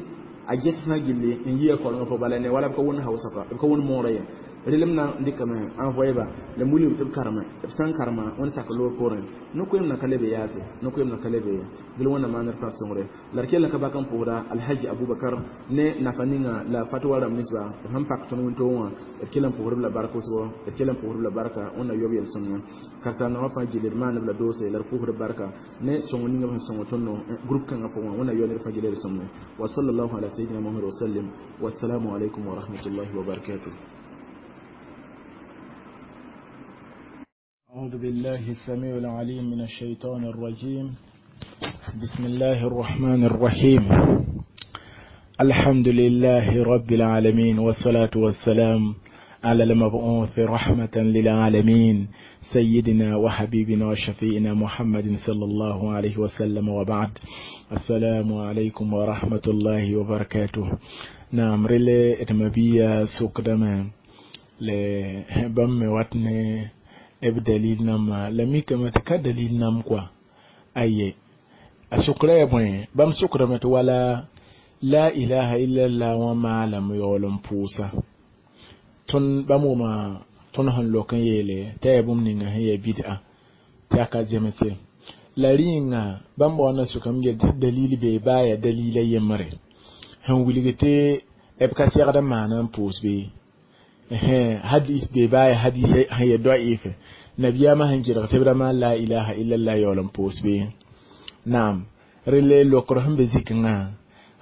a ges fãa gilli n yi a korengã pʋgẽ bala ne wala b ka wʋnd hausa ka b ka wʋnd moorã ye relem na n dɩkame envoyé ba la wilg tɩ b kareme b sã n karema wẽnd sak loor poorẽ no-koeem na ka le be yaase no-koeem na ka le be ye dɩl wẽnna maanr fãa sõngre la d kell n ka bak n pʋʋsda alhaji abubakar ne nafa ninga la fatwa rãmb ninsba b sẽn pak tõnd wĩntoog wã d kell n pʋʋsd b la bark wʋsgo d kell n pʋʋsd b la barka wẽnna yob yel-sõmyã karen-saamdãmbã fãa gilli d maan b la doose la d pʋʋsd b barka ne sõng ninga b sẽn sõng tõnd groupe kãngã pʋgẽ wẽnna yɔ ned fãa gilli d sõmne wa sallallahu ala sayyidina muhammad wa sallim wassalamu alaikum wa rahmatullahi wa barakatuh. أعوذ بالله السميع العليم من الشيطان الرجيم. بسم الله الرحمن الرحيم. الحمد لله رب العالمين، والصلاة والسلام على المبعوث رحمة للعالمين، سيدنا وحبيبنا وشفيئنا محمد صلى الله عليه وسلم، وبعد. السلام عليكم ورحمة الله وبركاته. نعم رلي اتمبيا سوكدما لبم واتني eb dalil nam la mikame tɩ ka dalil nam kɔa aye a sʋkra ya bõe bãmb sʋkrame tɩ wala la ilaha illallah wã maalame yaool n pʋʋsa tõnd bãmb wʋma tõnd sẽn lok n yeele t'a yaa bũmb ninga sẽn yaa bid'a tɩ a ka zemse la rĩnga bãmb waoonda sʋkame yel tɩ dalil bee baa yaa dalila yembre sẽn wilg tɩ b ka segd n maana n pʋʋs bee hadis bee baa yaa hadis sẽn yaa daif nabiyama sẽn gɩdg tɩ b ra maan la ilaha illallah yaool n pʋʋs bee naam rele lokr sẽn be zikngã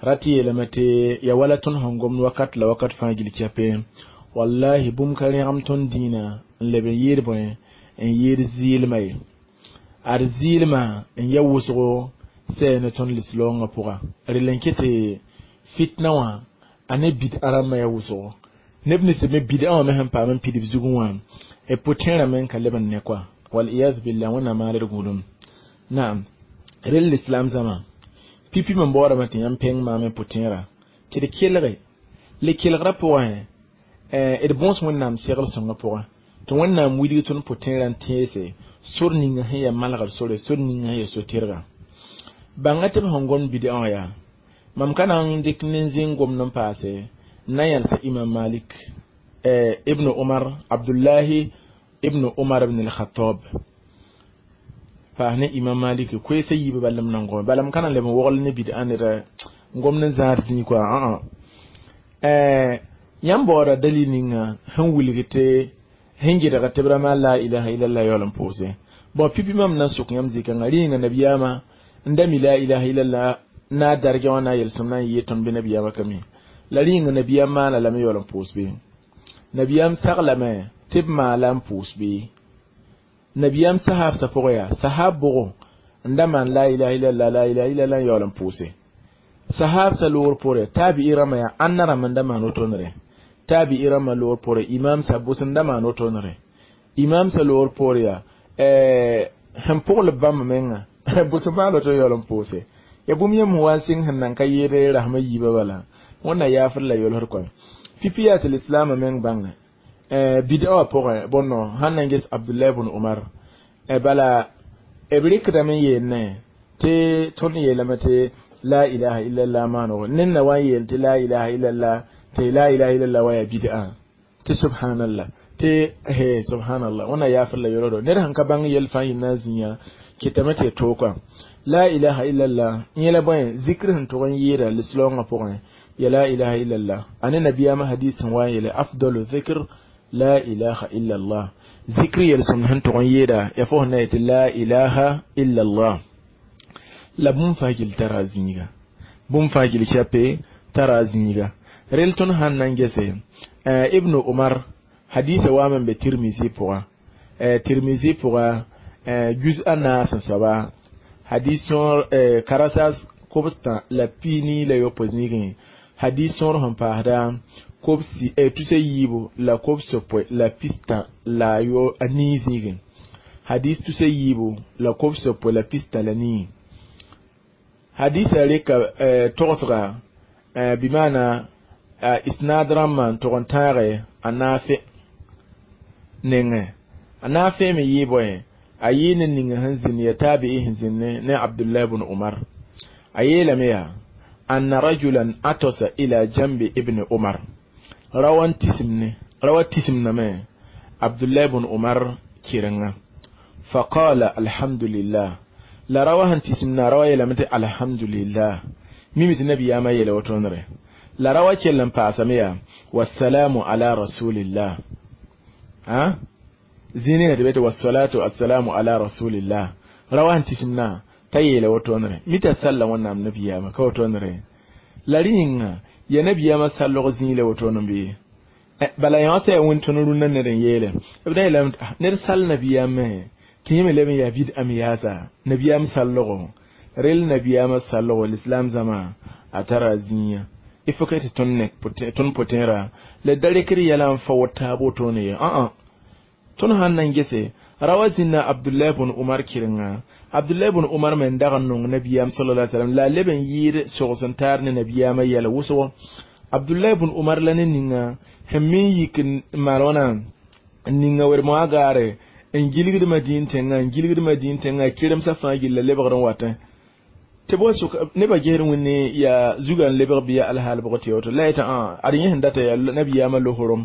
rat yeelame tɩ ya wala tõnd sẽn gomd wakat la wakat fãa gil kɛpe wallahi bũmb ka rẽgem tõnd dĩinã n leb n yɩɩd bõe n yɩɩd zɩɩlmã ye ad zɩɩlmã n ya wʋsgo sɛ ne tõnd lislaoongã pʋga rel n ket tɩ fitna wã a ne bid'a rãmbã ya wʋsgo neb nins me bid'a wã me sẽn paam n pidb zugẽ wã b pʋtẽerã me n ka leb n ne kɔa waliyaz billah wẽnnaam maal d gũudum naam rel l'islam zãma pipi me n baoodame tɩ yãmb pẽng maam n pʋtẽerã tɩ d kelge le kelgrã pʋgẽ d bõos wẽnnaam segl sõngã pʋgẽ tɩ wẽnnaam wilg tõnd pʋtẽerã n tẽese sor ninga sẽn yaa malgr sore sor ninga sẽn yaa so-tɩrga bãnga tɩ b sẽn gomd bid'a wã yaa mam ka na n dɩk nin-zĩng gomd n paase n na yãlsa imam malik ibn umar abdullahi ibn umar ibn al-khattab paas ne imam malik koeesa yiibã bala m nan gome bala m ka na n leb n wogl ne bid'a ned n gomd n zãad zĩig kɔa ã yãmb baooda dalil ninga sẽn wilg tɩ sẽn gɩdg tɩ b ra maan la ilaha illallah yaool n pʋʋse bõn pipi mam na n sʋk yãmb zikãngã rĩnga nabiyaamã n da mi la ilaha illallah na a dargã wã na a yelsem na n yɩɩ tõnd bɩ nabiyaamã ka mi la rĩnga nabiyaam maana lame yaool n pʋʋs bɩ nabiyaam saglame tɩ b maala n pʋʋs bɩ nabiyaam sahaabsã pʋgẽ yaa sahaab bʋgo n da maan la ilaha illallah la ilaha illallah n yaool n pʋʋse sahaabsã loor poore taabi'i rãmbã yaa ãnna rãmb n da maan wotonre taabi'i rãmbã loor poore imam sa bʋs n da maan wotonre imam sa loor poore yaa sẽn pʋgl bãmb menga bʋs n maan woto yaool n pʋʋse ya bũmb yãmb wa n sɩng sẽn nan ka yɩɩd rasmã yiibã bala wẽnna yaafd la yolsd koa pipi yaa tɩ lislaamã meng bãnge Bid'a wã pʋgẽ bõno sãn na n ges Abdullah ibn Umar bala b rɩkdame n yeelne tɩ tõnd yeelame tɩ la ilaha illallah maanego ned na wa n yeel tɩ la ilaha illallah tɩ la ilaha illallah wa yaa bid'a tɩ subhanallah tɩ he subhanallah wẽnna yaafr la yorodo ned sãn ka bãng yɛl fãa yɩ na n zĩiga kɩtame tɩ y tookã la ilaha illallah yẽla bõe zikr sẽn tʋg n yɩɩda lislaoongã pʋgẽ ya la ilaha illallah a ne nabiyaamã hadis sẽn wa n yeele afdalu zikr la ilaha illallah zikr yel-sõmd sẽn tʋg n yɩɩda ya fo sẽn na yetɩ la ilaha illallah la bũmb fãa gill tara a zĩiga bũmb fãa gill chape tara a zĩiga rel tõnd sãn na n gese ibnu umar hadisa waame n be tirmisi pʋga tirmisi pʋga juz a naas n soaba hadis sõor karasa kobstã la piini la yopoe zĩigẽ hadis sõor sẽn paasda kobsi tusa yiibu la kobs-yopoe la pistã la yo a nii zĩigẽ hadis tusa yiibu la kobs-yopoe la pistã la nii hadisa rɩka togsga bɩ maana isnaad rãmbã n tʋg n tãage a naafe nengẽ a naafe me yɩ bõe a yɩ ne ninga sẽn zĩnd ya taabi'i sẽn zĩnd ne Abdullah ibn Umar a yeelame yaa anna rajulan atasa ila jambi ibn Umar rawa n tisimne rawa tisimname Abdullah ibn Umar kɩrenga faqala alhamdulillah la rawa sẽn tisimna rawa yeelame tɩ alhamdulillah mimi tɩ nabiyaamã yeela wotonre la rawa kell n paasame yaa wassalamu ala rasulillah ha zĩnigã tɩ be tɩ wassalatu assalamu ala rasulillah rawa sẽn tisimna t'a yeela wotonre mita salla wẽnnaam nabiyaamã ka wotonre la rẽ yĩnga ya nabiyaamã sallg zĩig la woton bɩ bala yã t'a yaa wẽn tõnd rũnnã ned n yeele b da yeelame ned sall nabiyaam me tɩ yẽ me leb n yaa bid'a me yaasa nabiyaam sallgo rel nabiyaamã sallgo l'islam zãma a tara zĩiga il faut que tɩ tõnd nek tõnd pʋtẽera la da rɩkd yɛla n fa wot taab wotone ye ã tõnd sãn na n gese rawa zĩnna Abdullah ibn Umar kɩrenga Abdullah ibn Umar me n dag n nong nabiyaam sallallahu alaihi wasallam la a leb n yɩɩd sogs n taar ne nabiyaamã yɛla wʋsgo Abdullah ibn Umar la ne ninga sẽn me n yik n maan wãna n ninga wed-moagã gaare n gilgd madĩn tẽngã n gilgd madĩn tẽngã kɩremsã fãa gilla lebgr n watẽ tɩ bõe sʋk nebã gesd wẽnne yaa zugã n lebg bɩ ya alhaal bʋg tɩ woto la yetã ad yẽ sẽn data yaa nabiyaamã losorom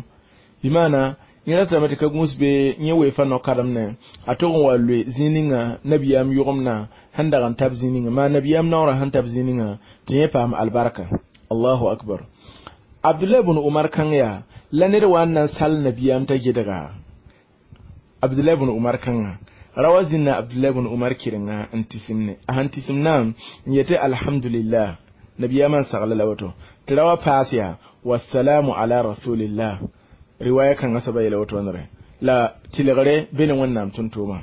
bɩ maana yẽ ratame tɩ ka gũus be yẽ weefa no-kademne a tʋg n wa loe zĩig ninga nabiyaam yʋgemdã sẽn dag n tab zĩig ninga maa nabiyaam naoorã sẽn tab zĩig ninga tɩ yẽ paam albarka allahu akbar Abdullah ibn Umar kãng yaa la ned wa n na n sall nabiyaam t'a gedga Abdullah ibn Umar kãnga rawa zĩnna Abdullah ibn Umar kɩrenga n tisimne a sẽn tisimna n yetɩ alhamdulillah nabiyaamã n sagla la woto tɩ rawa paas yaa wassalamu ala rasulillah riwaya kãngã soaba yeela wotonre la tɩlgre be ne wẽnnaam tʋm-tʋʋmã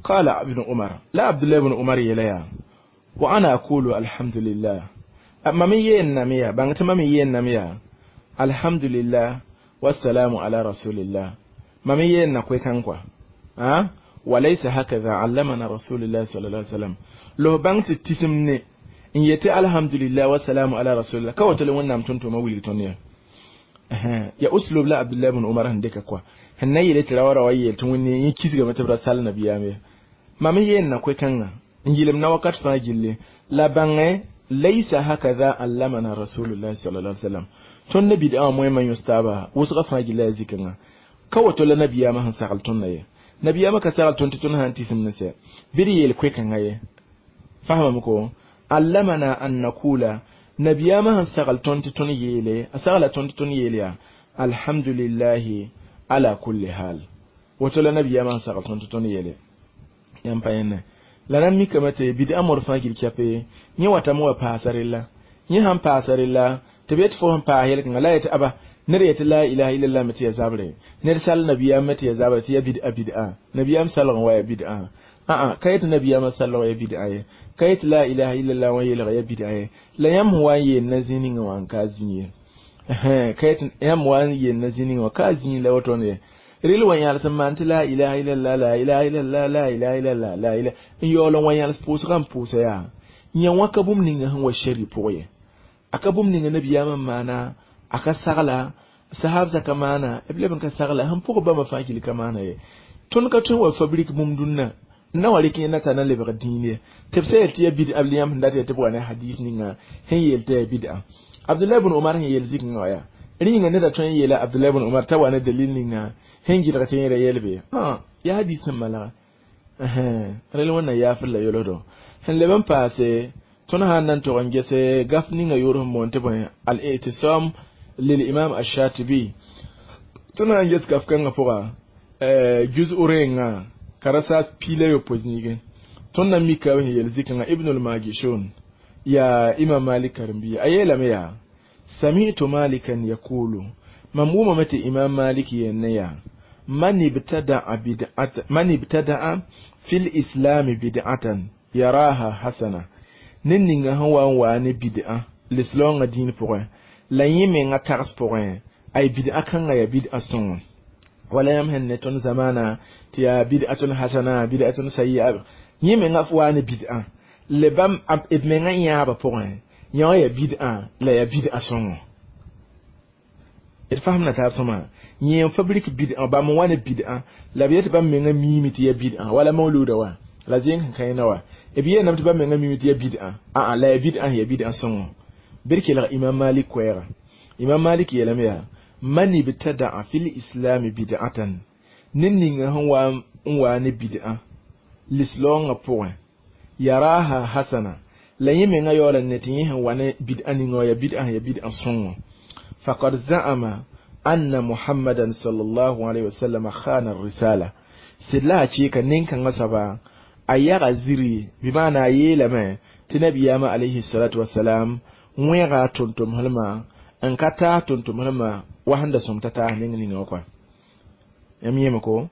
qala ibn Umar la Abdullah ibn Umar yeela yaa wa ana aqulu alhamdulillah mam n yeenname yaa bãng tɩ mam n yeenname yaa alhamdulillah wassalamu ala rasulillah mam n yeenna koe-kãng kɔa ha walaysa hakaza allamana rasulillah sallallahu alaihi wasallam lo bãng tɩ tisim ne n yetɩ alhamdulillah wassalamu ala rasulillah ka woto le wẽnnaam tʋm-tʋʋmã wilg tõnd ya ya uslub la Abdullah ibn Umar sẽn dɩka kɔa sẽn na yeele tɩ ra wa ra wa yeel tɩ wẽnne yẽ kisgame tɩ b ra sall nabiyaam ye mam n yeenna koe-kãngã n yɩlem na wakat fãa gilli la bãngẽ laysa hakaza allamana rasulullah sallallahu alaihi wasallam tõnd ne bid'a wã moẽmã yõs taaba wʋsgã fãa gilla yaa zikãngã ka woto la nabiyaamã sẽn sagl tõndã ye nabiyaamã ka sagl tõnd tɩ tõnd sã n tisim ne sɛ bɩ d yeel koe-kãngã ye fahamame ko allamana an nakula nabiyaamã sẽn sagl tõnd tɩ tõnd yeele a sagla tõnd tɩ tõnd yeel yaa alhamdulillahi ala kulli hal woto la nabiyaamã sẽn sagl tõnd tɩ tõnd yeele yãmb pa yẽnne la na n mikame tɩ bid'a modg fãa gil kɛpe yẽ watame wa paasa rella yẽ sãn paasa rella tɩ b yet fo sẽn paas yel-kãnga la yetɩ aba ned yetɩ la ilaha illallah me tɩ ya zabre ned sall nabiyaam me tɩ ya zabre tɩ ya bid'a bid'a nabiyaam salg n wa ya bid'a aa ka yetɩ nabiyaamã salg ya bid'a ye ka yetɩ la ilaha illallah wã yeelg ya bid'a ye la yãmb sẽn wa n yeel na zĩig ninga wã n ka zĩ ye ka yetɩ yãmb wa n yeel na zĩig ninga wã ka zĩig la woto ye rel wa yãls n maan tɩ la ilaha illallah la ilaha illallah la ilaha illallah la ilaha n yaool n wa yãls pʋʋsgã n pʋʋsa yaa yã wã ka bũmb ninga sẽn wa shari pʋgẽ ye a ka bũmb ninga nabiyaamã n maana a ka sagla Sahab zaka maana b leb n ka sagla sẽn pʋg bãmba fãa gil ka maana ye. Tõnd ka tõe n wa fabrik bũmb dũnna n na wa rɩk yẽnda t'a na lebg dĩin ye. Tɩ b sã yel tɩ ya bid'a b yãmb sẽn dat yaa tɩ b wa ne hadis ninga sẽn yeel tɩ ya bid'a. Abdullah ibn Umar sẽn yeel zikngã wa yaa rẽ yĩnga neda tõe n yeela Abdullah ibn Umar t'a wa ne dalil ninga sẽn gɩdg tɩ yẽra yɛl bɩ yaa hadis sẽn malga. Rel wẽnna yaafr la yolsdo sẽn leb n paase tõnd sã n na n tog n gese gaf ninga yʋʋr sẽn boond tɩ bõe al-i'tisam lil imam ash-Shatibi. Tõnd sã n ges gaf kãngã pʋga juz-u rẽengã ka ra saas piila yopoe zĩigẽ. Tõnd na mika sẽn yeel zikãngã Ibn al-Majishun yaa Imam Malik karen-biiga a yeelame yaa sami'tu Malikan yaqulu mam wʋmame tɩ Imam Malik yeelne yaa man ibtada'a bid'atan man ibtada'a fil islam bid'atan yaraha hasana ned ninga sẽn wa n waa ne bid'a lislaoongã dĩin pʋgẽ la yẽ menga tags pʋgẽ ay bid'a kãngã yaa bid'a sõngo wala yãmb sẽn ne tõnd zamaana tɩ yaa bid'atun hasana bid'atun sayyi'a yẽ menga f waa ne bid'a le bãmb d menga yãabã pʋgẽ yã wã yaa bid'a la yaa bid'a sõngo. D fasemda taab sõma yẽ n fabrik bid'a bãmb n wa ne bid'a la b yet tɩ bãmb menga miime tɩ yaa bid'a wala mauluda wa la zẽng sẽn kãena wa b yeelame tɩ bãmb menga miime tɩ yaa bid'a aa la yaa bid'a sẽn yaa bid'a sõngo. Bɩ d kelg Imam Malik koɛɛga. Imam Malik yeelame yaa man ibtada'a fil islam bid'atan ned ninga sẽn wa n waa ne bid'a lislaoongã pʋgẽ yaraha hasana la yẽ menga yaoola ne tɩ yẽ sẽn wa ne bid'a ninga wã yaa bid'a sẽn yaa bid'a sõngo faqad za'ama anna Muhammadan sallallahu alayhi wa sallam khana ar-risala sɩd la a kɩɩka nin-kãngã soaba a yaga ziri bɩ maana a yeelame tɩ nabiyaamã alayhi salatu wasalam wẽega a tʋm-tʋmslmã n ka taas tʋm-tʋmslmã wa sẽn da sõm t'a taas neng ninga wã kɔa. Yãmb yẽme ko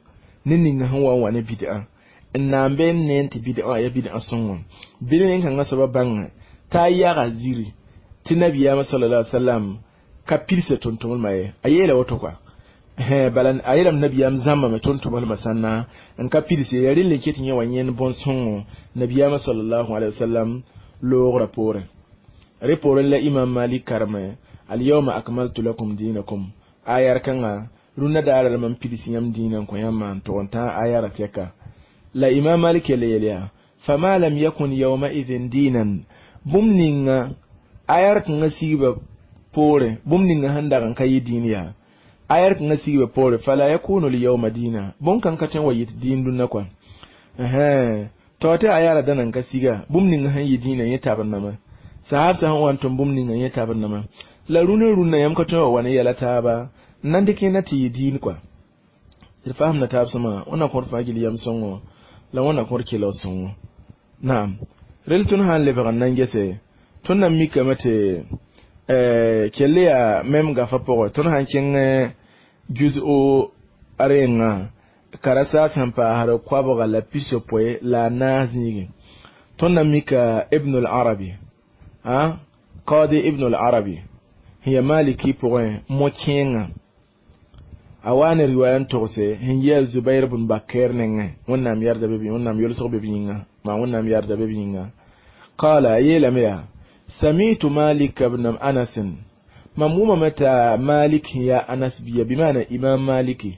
ned ninga sẽn wa n wa ne bid'a n na n be n ne n tɩ bid'a wã yaa bid'a sõngo bɩ nin-kãngã soaba bãnga t'a yaga ziri tɩ nabiyaamã sallallahu alaihi wasallam ka pilsa tʋm-tʋmlmã ye a yeela woto kɔa bala a yeelame nabiyaam zãmbame tʋm-tʋmlmã sãnna n ka pilse ya rel n ket yẽ wa yẽnd bõn-sõngo nabiyaamã sallallahu alaihi wasallam loogrã poorẽ. Rẽ poorẽ la Imam Malik kareme al-yawma akmaltu lakum dinakum ayar kãngã rũnnã daarã la mam pids yãmb dĩinã n kõ yãmbã n tog n tã ayara tɛka la Imam Malik yel yel yaa fama lam yakun yawmaidhin dinan bũmb ninga ayar kãngã sigba poorẽ bũmb ninga sẽn dag n ka yɩ dĩin yaa ayar kãngã sigba poorẽ fala yakunu lyawma dina bõn-kãng ka tõe n wa yɩt dĩin dũnna kɔa tao tɩ ayara dãna n ka siga bũmb ninga sẽn yɩ dĩinã yẽ tabr name sahab sã sẽn wa n tʋm bũmb ninga yẽ tabr name la rũnã rũnnã yãmb ka tõe wa wa ne yɛla taaba n na n dɩk yẽnda tɩ yɩ dĩin kɔa. D fasemda taab sõma wẽnna kõr fãa gil yam sõngo la wẽnna kõr kelg sõngo. Naam rel tõnd sã n lebg n na n gese tõnd na n mikame tɩ kell yaa mem gafa pʋgẽ tõnd sã n kẽng juz-o rengã ka ra saas sẽn paasd koabga la pisopoe la a naas zĩigẽ tõnd na mika Ibn al-Arabi a Qadi Ibn al-Arabi sẽn yaa Maliki pʋgẽ mo-kẽengã a wa ne riwaya n togse sẽn yi a Zubair bn Bakr nengẽ wẽnnaam yarda be wẽnnaam yolsg be b yĩnga maa wẽnnaam yarda be b yĩnga qala a yeelame yaa sami'tu Malik ibn Anas mam wʋmame t'a Malik sẽn yaa Anas bia bɩ maana Imam Maliki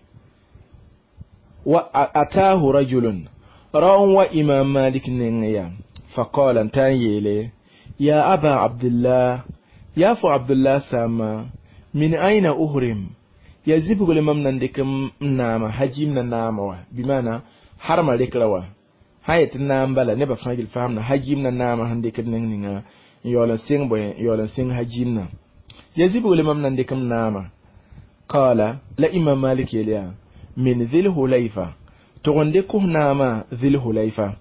wa ataahu rajulun rao n wa Imam Malik nengẽ yaa faqala n ta n yeele ya aba Abdullah yaa fo Abdullah saama min aina uhrim ya zibgl mam na n dɩk n naama hajim na naama wa bɩ maana harma rekra wa sã yet n naam bala nebã fãa gil faamda hajim na naama sẽn dɩkd neng ninga n yaool n sɩng bõe n yaool n sɩng hajim na ya zibgl mam na n dɩk m naama qala la Imam Malik yeel yaa min dhil hulayfa tʋg n dɩk f naama dhil hulayfa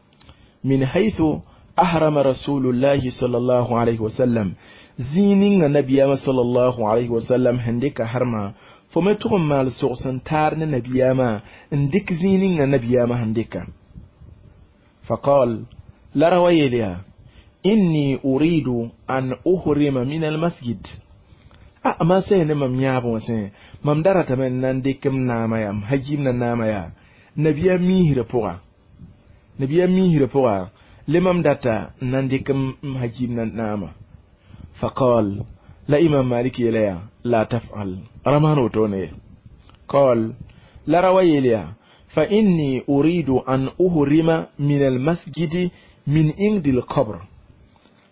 min haythu ahrama rasulullahi sallallahu alayhi wasallam zĩig ninga nabiyaamã sallallahu alayhi wasallam sẽn dɩka harma fo me tʋg n maal sogs n taar ne nabiyaamã n dɩk zĩig ninga nabiyaamã sẽn dɩka faqal la ra wa yeel yaa inni uridu an uhrima min almasjid a ma sã ne mam yãab wã sẽ mam da ratame n na n dɩk m naama yaa m hajim na naama yaa nabiyaam miisrã pʋga nabiyaam miisrã pʋga le mam data n na n dɩk m hajim na naama faqal La Imam Malik yeela yaa la tafal ra maan wotone qal la rawa yeel yaa fa inni uridu an uhrima min almasjidi min indi lqabr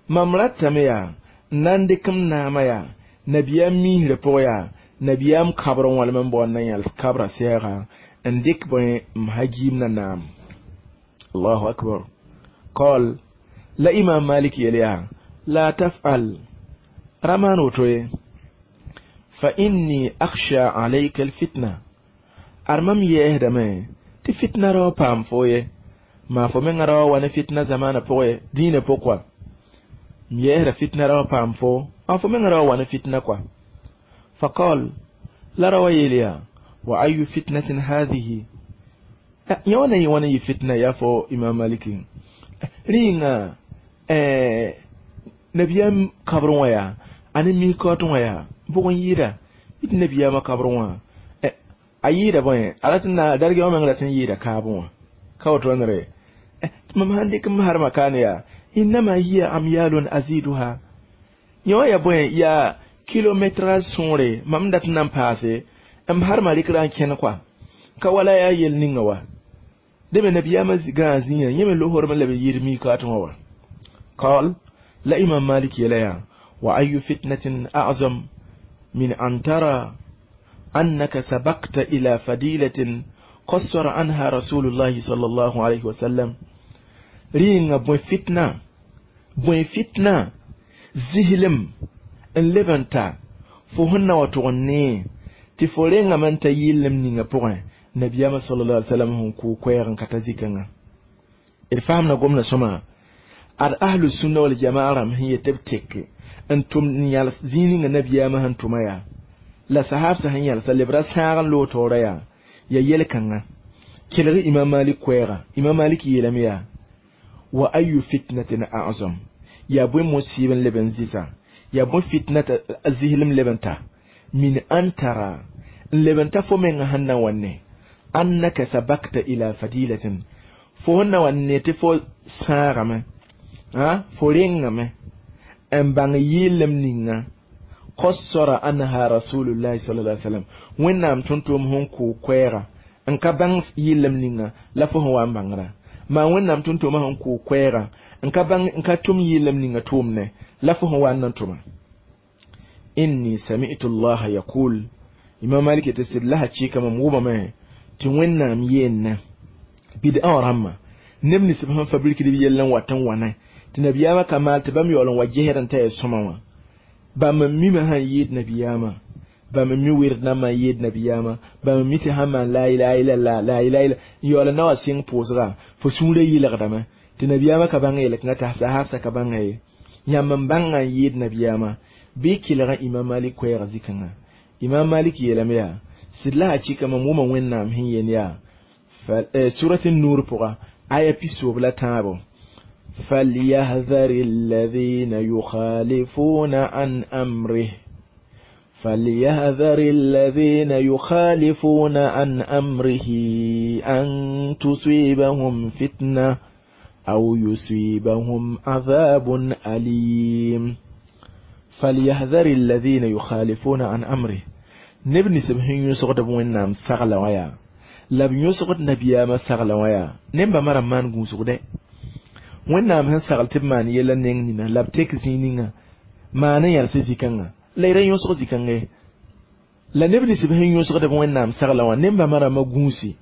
mam ratame yaa n na n dɩk m naamã yaa nabiyaam miisrã pʋgẽ yaa nabiyaam kabr n walem n bao n na yãls kabra sɛɛga n dɩk bõe m hagiim na naam allahu akbar qal la Imam Malik yeel yaa la tafal ra maan woto ye fa inni akhsha alayka alfitna ar mam yɛɛsdame tɩ fitna rao paam fo ye maa fo menga rao wa ne fitna zamaana pʋgẽ dĩinã pʋg kɔa m yɛɛsda fitna rao paam fo a fo menga rao wa ne fitna kɔa faqal la rawa yeel yaa wa ayu fitnatin hadihi yã wã na yẽ wãna yɩ fitna yaa fo Imam Maliki rĩnga nabiyaam kabrẽ wã yaa a ne mikaoot wã yaa bʋg n yɩɩda yɩ tɩ nabiyaamã kabrẽ wã a yɩɩda bõe a rat n na dargã wã meng rat n yɩɩda kaabẽ wã ka woto wãnre tɩ mam sãn dɩk m harma kaane yaa innama hiya amyalun aziduha yã wã yaa bõe yaa kilometrage sõore mam dat n na n paase m harma rɩkra n kẽn kɔa ka wala yaa yel ninga wa dẽ me nabiyaamã gãa zĩigã yẽ me losorem la b yɩɩd mikaat wã wa qal la Imam Malik yeela yaa wa ayu fitnatin a'zam min an tara annaka sabaqta ila fadilatin qassara anha rasulullahi sallallahu alayhi wa sallam rĩnga bõe fitna bõe fitna zislem n leb n ta fo sẽn na wa tʋg n nee tɩ fo rengame n ta yɩllem ninga pʋgẽ nabiyaamã sallallahu alaihi wasallam sẽn kʋʋ koɛɛg n ka ta zikãngã d faamda gomda sõma ad ahlu sunna wal jamaa rãmb sẽn yet b teke n tʋm n yãls zĩig ninga nabiyaamã sẽn tʋma yaa la sahabsã sẽn yãlsa leb ra sãag n loog taoora yaa ya yel-kãngã kelg Imam Malik koɛɛga Imam Malik yeelame yaa wa ayu fitnatin a'zam yaa bõe musib n leb n zɩsa yaa bõe fitna a zislem leb n ta min an tara n leb n ta fo menga sẽn na wa ne annaka sabakta ila fadilatin fo sẽn na wa ne tɩ fo sãagame fo rengame n bãng yɩllem ninga qassara anha rasulullahi sallallahu alaihi wasallam wẽnnaam tõnd-tʋʋm sẽn kʋʋ koɛɛga n ka bãng yɩllem ninga la fo sẽn wa n bãngrã maa wẽnnaam tõnd-tʋʋmã sẽn kʋʋ koɛɛga n ka bãng n ka tʋm yɩllem ninga tʋʋmne la fo sẽn wa n na n tʋma inni sami'tu allaha yaqul Imam Malik tɩ sɩd la hakɩɩka mam wʋmame tɩ wẽnnaam yeenna bid'a wã rãmbã neb nins b sẽn fabrikd b yell n wat n wãna tɩ nabiyaamã ka maal tɩ bãmb yaool n wa gesd n ta yaa sõma wã bãmb n mime sãn yɩɩd nabiyaamã bãmb n mi wɩrd nambã n yɩɩd nabiyaamã bãmb n mi tɩ sãn maan la ilaha illallah la ilaha illa n yaool n na wa sɩng pʋʋsga fo sũurã yɩlgdame tɩ nabiyaamã ka bãng yel-kãngã t'a sahabsã ka bãnga ye yãmb n bãngã n yɩɩd nabiyaamã bɩ kelga Imam Malik koɛɛga zikãngã Imam Malik yeelame yaa sɩd la hakɩɩka mam wʋma wẽnnaam sẽn yeel yaa surat nur pʋga aya pisoob la tãabo فليحذر الذين يخالفون عن أمره فليحذر الذين يخالفون عن أمره أن تصيبهم فتنة أو يصيبهم عذاب أليم فليحذر الذين يخالفون عن أمره neb nins b sẽn yõsgd b wẽnnaam sagla wã yaa la b yõsgd nabiyaamã sagla wã yaa nembã mara n maan gũusgdẽ wẽnnaam sẽn sagl tɩ b maan yɛla neng nina la b tek zĩig ninga maan n yãls zĩ-kãngã la y ra yõsg zĩ-kãngã ye la neb nins b sẽn yõsgd b wẽnnaam sagla wã nembã rãmbã gũusi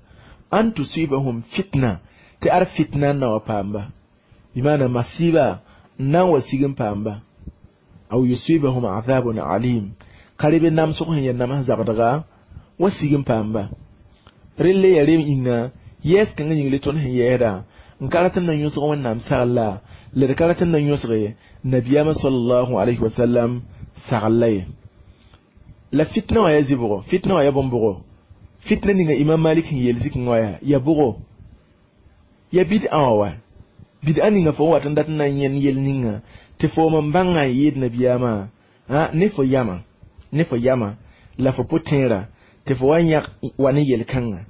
an tusibahum fitna tɩ ar fitna n na wa paamba bɩ maana masiiba n na n wa sig n paamba aw yusibahum azabun alim ka rebe namsg sẽn yaa nams zabdga wa sig n paamba relle ya rem yĩnga yɛɛs kãngã yĩng le tõnd sẽn yɛɛsda n ka rat n na yõsg wẽnnaam sagl la la d ka rat n na yõsge nabiyaamã sallallahu alayhi wa sallam sagl ye la fitna wã yaa zɩbgo fitna wã yaa bõn-bʋgo fitna ninga Imam Malik sẽn yeel zikẽ wã yaa yaa bʋgo yaa bid'a wã wa bid'a ninga fo wat n dat n na n yẽnd yel ninga tɩ foom n bãngã n yɩɩd nabiyaamã ne fo yama ne fo yama la fo pʋ-tẽera tɩ fo wa yãg wa ne yel-kãngã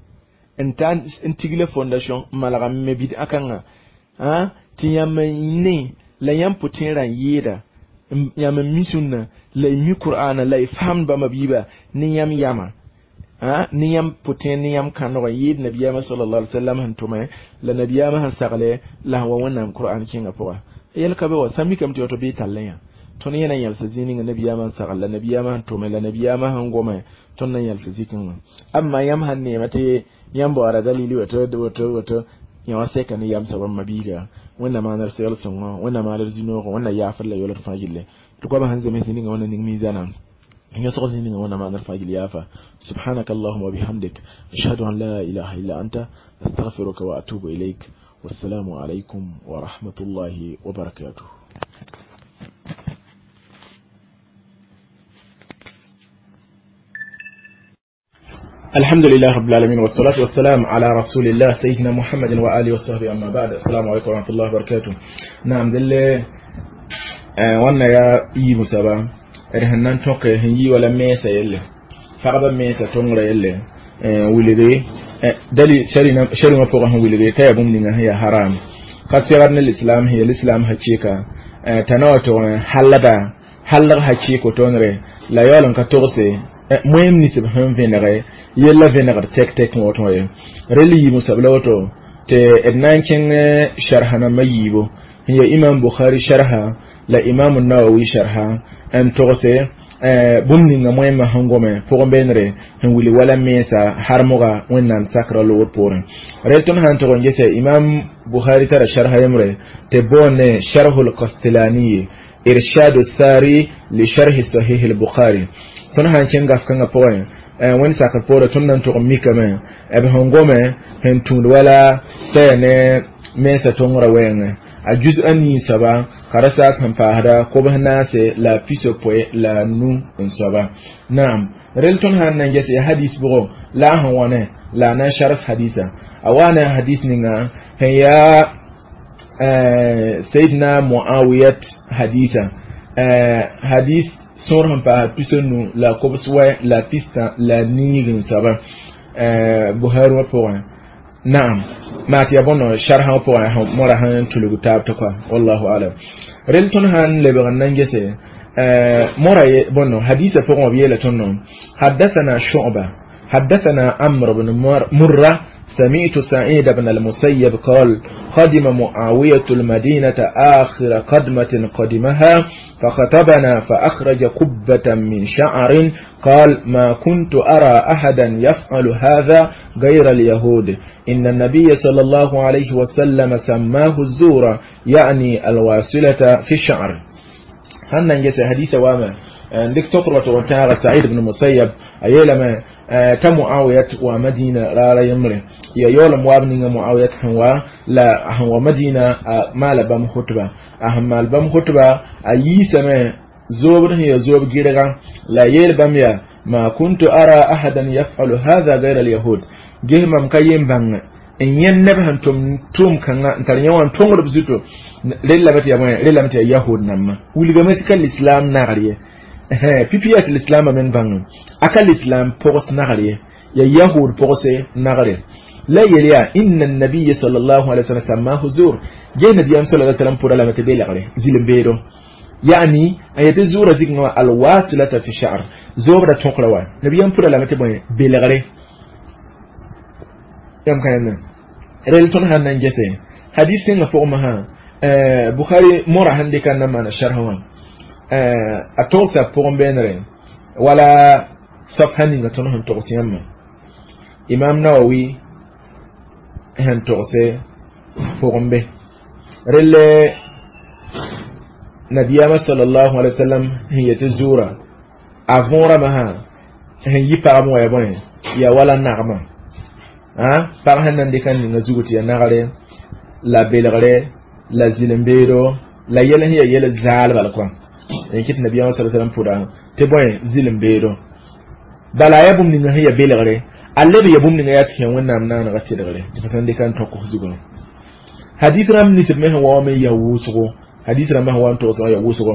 n ta n tigla fondation n malg n me bid'a kãngã tɩ yãmb n ne la yãmb pʋ-tẽerã n yɩɩda Yãmb n mi sũnna la y mi qur'ana la y faamd bãmba biiba ne yãmb yama ne yãmb pʋtẽer ne yãmb kãndg n yɩɩd nabiyaamã sallallahu alaihi wasallam sẽn tʋme la nabiyaamã sẽn sagle la sẽn wa wẽnnaam qur'an kẽngã pʋga yɛl ka be wa sã mikame tɩ woto bɩ tall yã tõnd yẽ na yãlsa zĩig ninga nabiyaamã n sagl la nabiyaamã sẽn tʋme la nabiyaamã sẽn gome tõnd na yãlsa zikẽ wã amma yãmb sãn neema tɩ yãmb baoora dalili woto woto woto yã wã sɛka ne yam soab n mabiiga wẽnnaam maana d segl sõngo wẽnnaam maana d zĩ-noogo wẽnna yaafd la yolg fãa gilli tɩ goamã sẽn zems ninga wẽnna ning miizãna yõsg zĩ ninga wẽnnaam maana d fãa gill yaafa سبحانك اللهم وبحمدك أشهد أن لا إله إلا أنت أستغفرك وأتوب إليك والسلام عليكم ورحمة الله وبركاته. الحمد لله رب العالمين والصلاة والسلام على رسول الله سيدنا محمد وآله وصحبه أما بعد. السلام عليكم ورحمة الله وبركاته. نعم دل وانا يا إي مسابا رهنان توقي هنجي ولا ميسا يلي فقبا ميسا تونغرا يلي ولدي دلي شري شري ما فوقهم ولدي تيبون لنا هي حرام قد سيرنا الإسلام هي الإسلام هتشيكا تنوتو حلبا حلغ هتشيكو تونري لا يولن كتوغسي moyem nisb sẽn vẽnege yella vẽnegd tɛk tɛk wã woto ye rel yiibẽ soab la woto tɩ d na n kẽng sharha nambã yiibu n ya imam bukhari sharha la imam nawawi sharha n togse bũmb ninga moẽmã sẽn gome pʋgẽ beenre sẽn wilg wala mensa harmga wẽnnaam sakra loogr poorẽ rel tõnd sã n tog n gese imam bukhari tara sharha yembre tɩ boonde sharhu lcastilaniye irshadu sari li sharhi sahih al-bukhari tõnd sã n kẽng gaf kãngã pʋgẽ wẽnd sakr poorẽ tõnd na n tʋg n mikame b sẽn gome sẽn tũud wala t'a yaa ne mensa tõngrã wɛɛngẽ a juz a nii soaba ka ra saas sẽn paasda kobs naase la a pisopoe la a nu n soaba naam rel tõnd sã n na n ges yaa hadis bʋgo la a sẽn wãne la a na n sars hadisa a wa ne a hadis ninga sẽn yaa sayidna muawiyat hadisa hadis sõor sẽn paas pisonu la kobs wɛ la pistã la niig n soaba buhari wã pʋgẽ naam maa tɩ yaa bõn sharha wã pʋgẽ mora sẽn tulg taab tɩ kɔa wallahu alam rel tõnd sãn lebg n na n gese mora bõn hadisa pʋgẽ wã b yeela tõnd haddathana shu'ba haddathana amr bn murra سمعت سعيد بن المسيب قال قدم معاوية المدينة آخر قدمة قدمها فخطبنا فأخرج قبة من شعر قال ما كنت أرى أحدا يفعل هذا غير اليهود إن النبي صلى الله عليه وسلم سماه الزور يعني الواصلة في الشعر. هل ننجس حديث واما عندك تقرأ سعيد بن المسيب أيلما ta muawiyat wa madina rara yemre ya yolam wab ninga muawiyat hanwa la hanwa madina mala bam khutba a mal bam khutba a yisame zobr ya zob girga la yel bam ya ma kuntu ara ahadan yaf'alu hadha ghayra al yahud gehmam kayem bang n yẽnd neb sẽn tʋm tʋʋm kãngã n tar yẽ wã n tõngd b zuto rella tɩ yaa bõe rellame tɩ yaa yahud nambã wilgame tɩ ka lislaam nagr ye pipi yaa tɩ lislaamã meng bãngẽ a ka lislaam pʋgs nagr ye yaa yahud pʋgse nagre la yel yaa inna nabiya sallallahu alaihi wasallam sammahu zur ge nabiyam sallallahu alaihi wasallam pʋra lame tɩ belegre zĩl-beedo yani a yetɩ zuurã zikngã wã alwasilata fi sha'r zoobda tõkra wa nabiyam pʋra lame tɩ bõe belegre yãmb ka yãmb rel tõnd sãn na n gese hadis tẽngã pʋgẽ sã bukhari mora sẽn dɩka n na n maana sharh wã a togsa pʋgẽ beenre wala safha ninga tõnd sẽn togs yãmbã imam nawawi sẽn togse pʋgẽ be relle nabiyama sallallahu alaihi wasallam sẽn yetɩ zuurã a võorame sã sẽn yi pagb wã ya bõe yaa wala nagmã pag sẽn na n dɩk n ninga zugu tɩ yaa nagre la belgre la zĩl-beedo la yɛl sẽn yaa yɛl zaal bal kɔa n kɩt nabiyama sallallahu alaihi wasallam pʋda tɩ bõe zĩl-beedo bala yaa bũmb ninga sẽn yaa belgre a leb yaa bũmb ninga yaa tɩ sẽn wẽnnaam naanega tɩlgre tɩ fa sãn dɩka n tõk zugã hadis rãmb nisb me sẽn wa wã me yaa wʋsgo hadis rãmbã sẽn wa n togsã yaa wʋsgo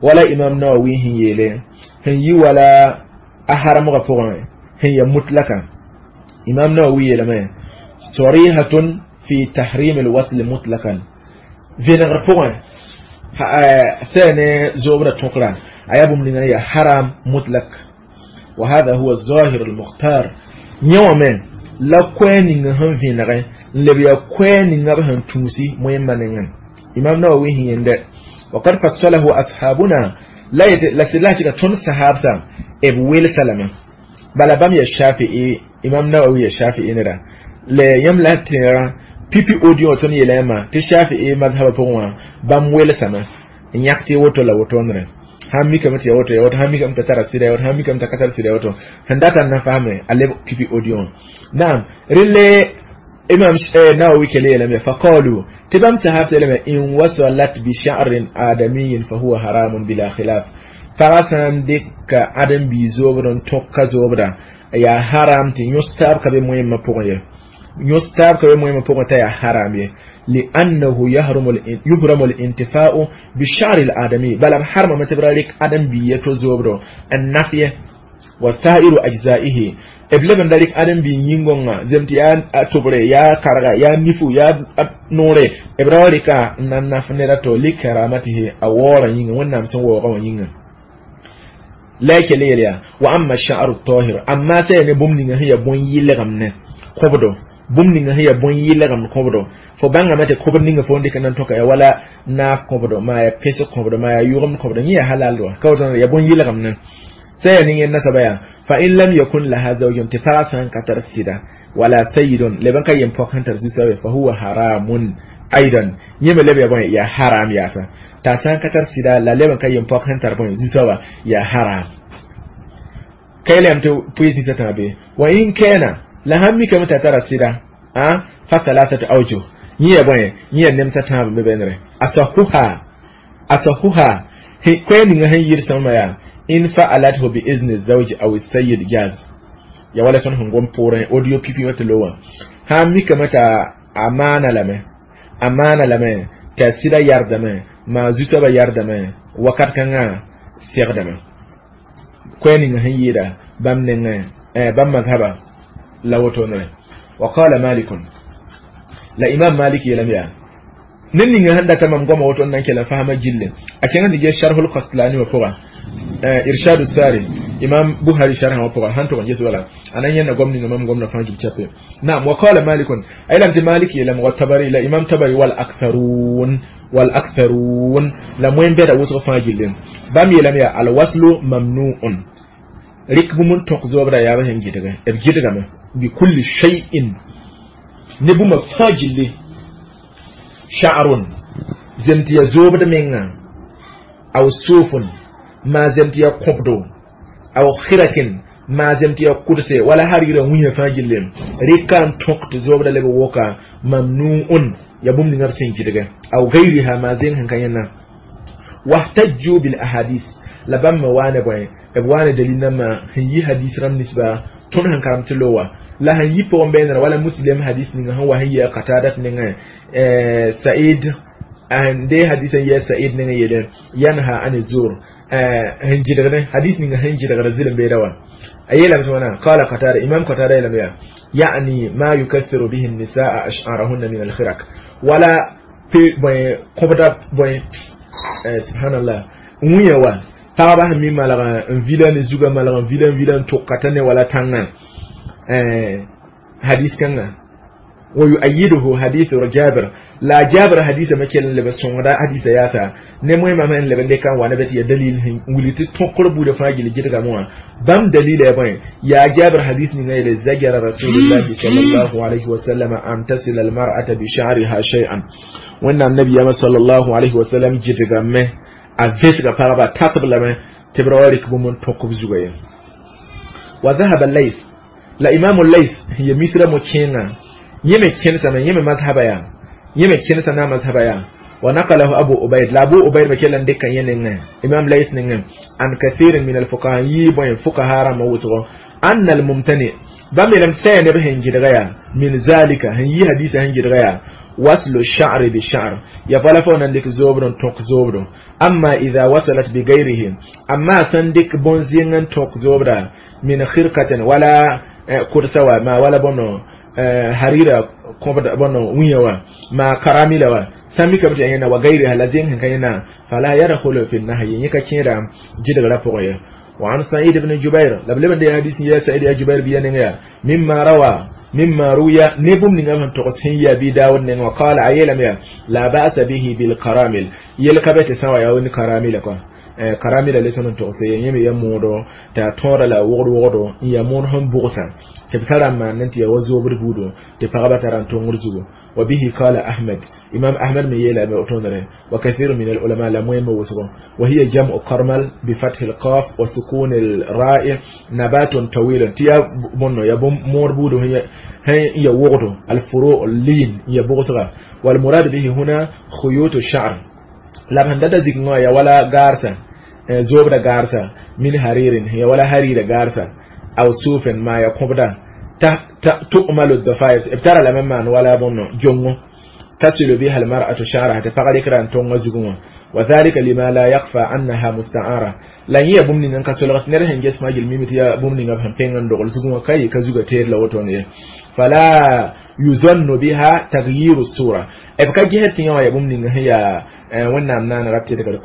wala imam nawawi sẽn yeele sẽn yi wala a harmgã pʋgẽ sẽn yaa mutlaka imam nawawi yeelame sarihatun fi tahrim alwasl mutlaqan vẽnegr pʋgẽ Sene zobra tokra aya bũmb ninga ya haram mutlak. Wa hada huwa الظاهر المختار. Yẽ wã me la koɛɛ ninga sẽn vẽnegẽ n leb yaa koɛɛ ninga b sẽn tũusi moẽmbã nengẽ. Imam Nawawi sẽn yẽnde وقد فصله أصحابنا la la sɩd la tɩ tõnd sahabsã b welsa lame. Bala bãmb ya Shafi'i, Imam Nawawi ya Shafi'i neda la yãmb la tẽega pipi audio tõnd yeela yãmba tɩ Shafi'i mazhaba pʋgẽ wã bãmb welsame n yãk tɩ woto la wotondrẽ sãn mikame tɩ ya woto ya woto, sãn mikame t'a tara sɩda ya woto, sãn mikame t'a ka tar sɩda ya woto, sẽn data n na fasme a leb pipi audio wã. Naam, relle Imam Nawawi kele yeelame faqalu tɩ bãmb sahabsã yeelame in wasalat bi sha'rin adamiyin fa huwa haramun bila khilaf. Pagã sã n dɩka ãdem-biig zoobd n tõk ka zoobda yaa haram tɩ yõs taab ka be moẽmã pʋgẽ ye, yõs taab ka be moẽmã pʋgẽ t'a yaa haram ye. لأنه يحرم يحرم الانتفاع بالشعر الآدمي بل حرم ما تبرك آدم بيتو زوبرو النفي وسائر أجزائه. B leb n da rɩk ãdem-biig yĩngõngã zem tɩ yaa tobre, yaa karga, yaa nifu, yaa noore, b ra wa rɩka n na n naf ned a to likaramatihi a waoorã yĩnga, Wẽnnaam sẽn waooga wã yĩnga la y kell yel yaa wa amma sha'ru tahir. Amma sã yaa ne bũmb ninga sẽn yaa bõn-yɩlgem ne kõbdo, bũmb ninga sẽn yaa bõn-yɩlgem kõbdo, fo bãngame tɩ kõbd ninga fo n dɩk n na n tõka yaa wala naaf kõbdo, maa yaa pẽsg kõbdo, maa yaa yʋgemd kõbdo, yẽ yaa halal wa ka woto yaa bõn-yɩlgem ne sã yaa ning nasaba yaa fa in lam yakun laha zawjun, tɩ pagã sã n ka tar sɩda wala sayyidun leb n ka yem pɔk sẽn tar zu-soaba fa huwa haramun aidan. Yẽ me leb yaa bõe yaa haram yaasa t'a sã n ka tar sɩda la leb n ka yem pɔk sẽn tar bõe zu-soaba yaa haram. Ka yeelame tɩ pʋɩs ninsã tãa be wa in kana la sãn mikame t'a tara sɩda fa thalathatu awjuh. Yẽ yaa bõe yẽ yaa nemsã tãab n be bẽnere asahuha asahuha koɛɛ ninga sẽn yɩr sõma yaa in fa'alathu bi izni zawji aw sayyid jaz ya wala tõnd sẽn gom poorẽ audio pipi wã tɩ lo wã sãn mikame t'a a maana lame, a maana lame t'a sɩda yardame maa zu-soabã yardame wakat kãngã segdame koɛɛ ninga sẽn yɩɩda bãmb nengẽ bãmb mazhaba la wotonere. Wa qala Malikun la Imam Malik yeelame yaa ned ninga sẽn data mam goama woto n na n kell n fasma gilli a kẽng tɩ ges Sharhul Qaslani wã pʋga, Irshadu Sari, Imam Buhari sharha wã pʋga sãn tʋg n ges wala a na n yẽnda gom ninga mam gomda fãa gil chape. Naam, wa qala Malikun a yeelame tɩ Malik yeelame wa Tabari la Imam Tabari wal aktharun wal aktharun la moẽn bɛda wʋsg fãa gilli bãmb yeelame yaa alwaslu mamnuun rɩk bũmb n tõk zoobda yaa b sẽn gɩdge b gɩdgame bi kulli shay'in ne bũmba fãa gilli sha'run zem tɩ yaa zoobd menga aw sufun maa zem tɩ yaa kõbdo aw khirakin maa zem tɩ yaa kudse wala harira wĩyã fãa gilli rɩka n tõk tɩ zoobda leb woka mamnuun ya bũmb ninga b sẽn gɩdge aw gayriha maa zeng sẽn ka yẽnna. Wahtajju bil ahadith la bãmb me waane bõe b waane dalil nãmbã sẽn yi hadis rãmb ninsba tõnd sẽn karem tɩ lowa la sẽn yi pʋgẽ bẽenera wala Muslim hadis ninga sẽn wa sẽn yɩ a Qatadat nengẽ Said n de hadis n yɩ Said nengẽ yele yanha ani zur sẽn gɩdgdẽ hadis ninga sẽn gɩdgd zɩlem beeda wã a yeelame tɩ wãna qala Qatada, Imam Qatada yeelame yaa يعني ما يكثر به النساء أشعارهن من الخرق ولا bõe kõbda bõe subhanallah wĩyã wa pagba sẽn mi malg n vila ne zugã malg n vila n vila n tʋka t'a ne wala tãngã hadis kãnga wa yuayiduhu hadithu Jabir la Jabir hadisa me kell n leb sõngda hadisa yaasa ne moẽmã me n leb n dɩka n wa ne bɩ tɩ yaa dalil sẽn wilg tɩ tõkr buudã fãa gill gɩdgame wã bãmb dalila yaa bõe yaa Jabir hadis ninga yeele zajara Rasulullahi sallallahu alayhi wasallam an tasila almar'ata bi sha'riha shay'an. Wẽnnaam nabiyama sallallahu alayhi wasallam gɩdgame a vẽsga pagba tasb lame tɩ b ra wa rɩk bũmb n tõk b zuga ye. Wa dhahaba Lays la Imamu Lays ya Misra mo kẽengã yẽ me kẽnesame yẽ me mazhaba yaa yẽ me kẽnesa na mazhaba yaa wa naqalahu Abu Ubayd la Abu Ubayd me kell n dɩka yẽ nengẽ Imam Lays nengẽ an kathirin min alfuqaha yɩ bõe fuqaha rãmbã wʋsgo anna almumtani bãmb yeelame tɩ sã yaa neb sẽn gɩdga yaa min zalika sẽn yi hadisa sẽn gɩdga yaa waslu sha'ri bi sha'r ya fala fo nan dik zobro tok zobro amma idha wasalat bi ghayrihi amma san dik bon zingan tok zobra min khirqatin wala kursawa ma wala bono harira kobda bono wiyawa ma karamila wa Sãn mikame tɩ yaa yẽnda wa gairiha la zẽng sẽn ka yẽnda fala yadkhulu fi nahyi yẽ ka kẽeda gɩdgrã pʋgẽ ye. وعن سعيد بن جبير لم لمن دي حديث يا سعيد يا جبير بيان مما روى مما روي نبم نغم تقسين يا بي داود نغم وقال عيلم يا لا بأس به بالكرامل يلكبت سوا يا ون كرامل كو كرامل لسن تقسين يم يا مودو تا تورا لا وغد وغدو يا مون هم بوغسا تبترا ما ننتي يا وزوبر بودو تفغبا تران تونغر زوغو. وبه قال أحمد إمام أحمد من يلا بأتونره وكثير من العلماء لم يموسوا. وهي جمع كرمل بفتح القاف وسكون الراء نبات طويل تيا بونو يا بوم مور بودو هي هي وغدو الفروع اللين هي بوغسغا. والمراد به هنا خيوط الشعر لا بهنددا زيغ يا ولا غارسا زوبدا غارسا من حرير هي ولا حرير غارسا أو صوف ما يقبدا تؤمل الضفائر ابترى لما ولا بونو جونغو تصل بها المرأة شعرها تفقد كران تونغ وذلك لما لا يخفى أنها مستعارة لا هي بومني نك سولغت نره هنجس ما جل ميمت يا بومني نغ بينغن دوغل زغوا كاي كزوغا تير لوتون فلا يظن بها تغيير الصورة ابكا جهت يا بومني هي ونام نان ربتي دغ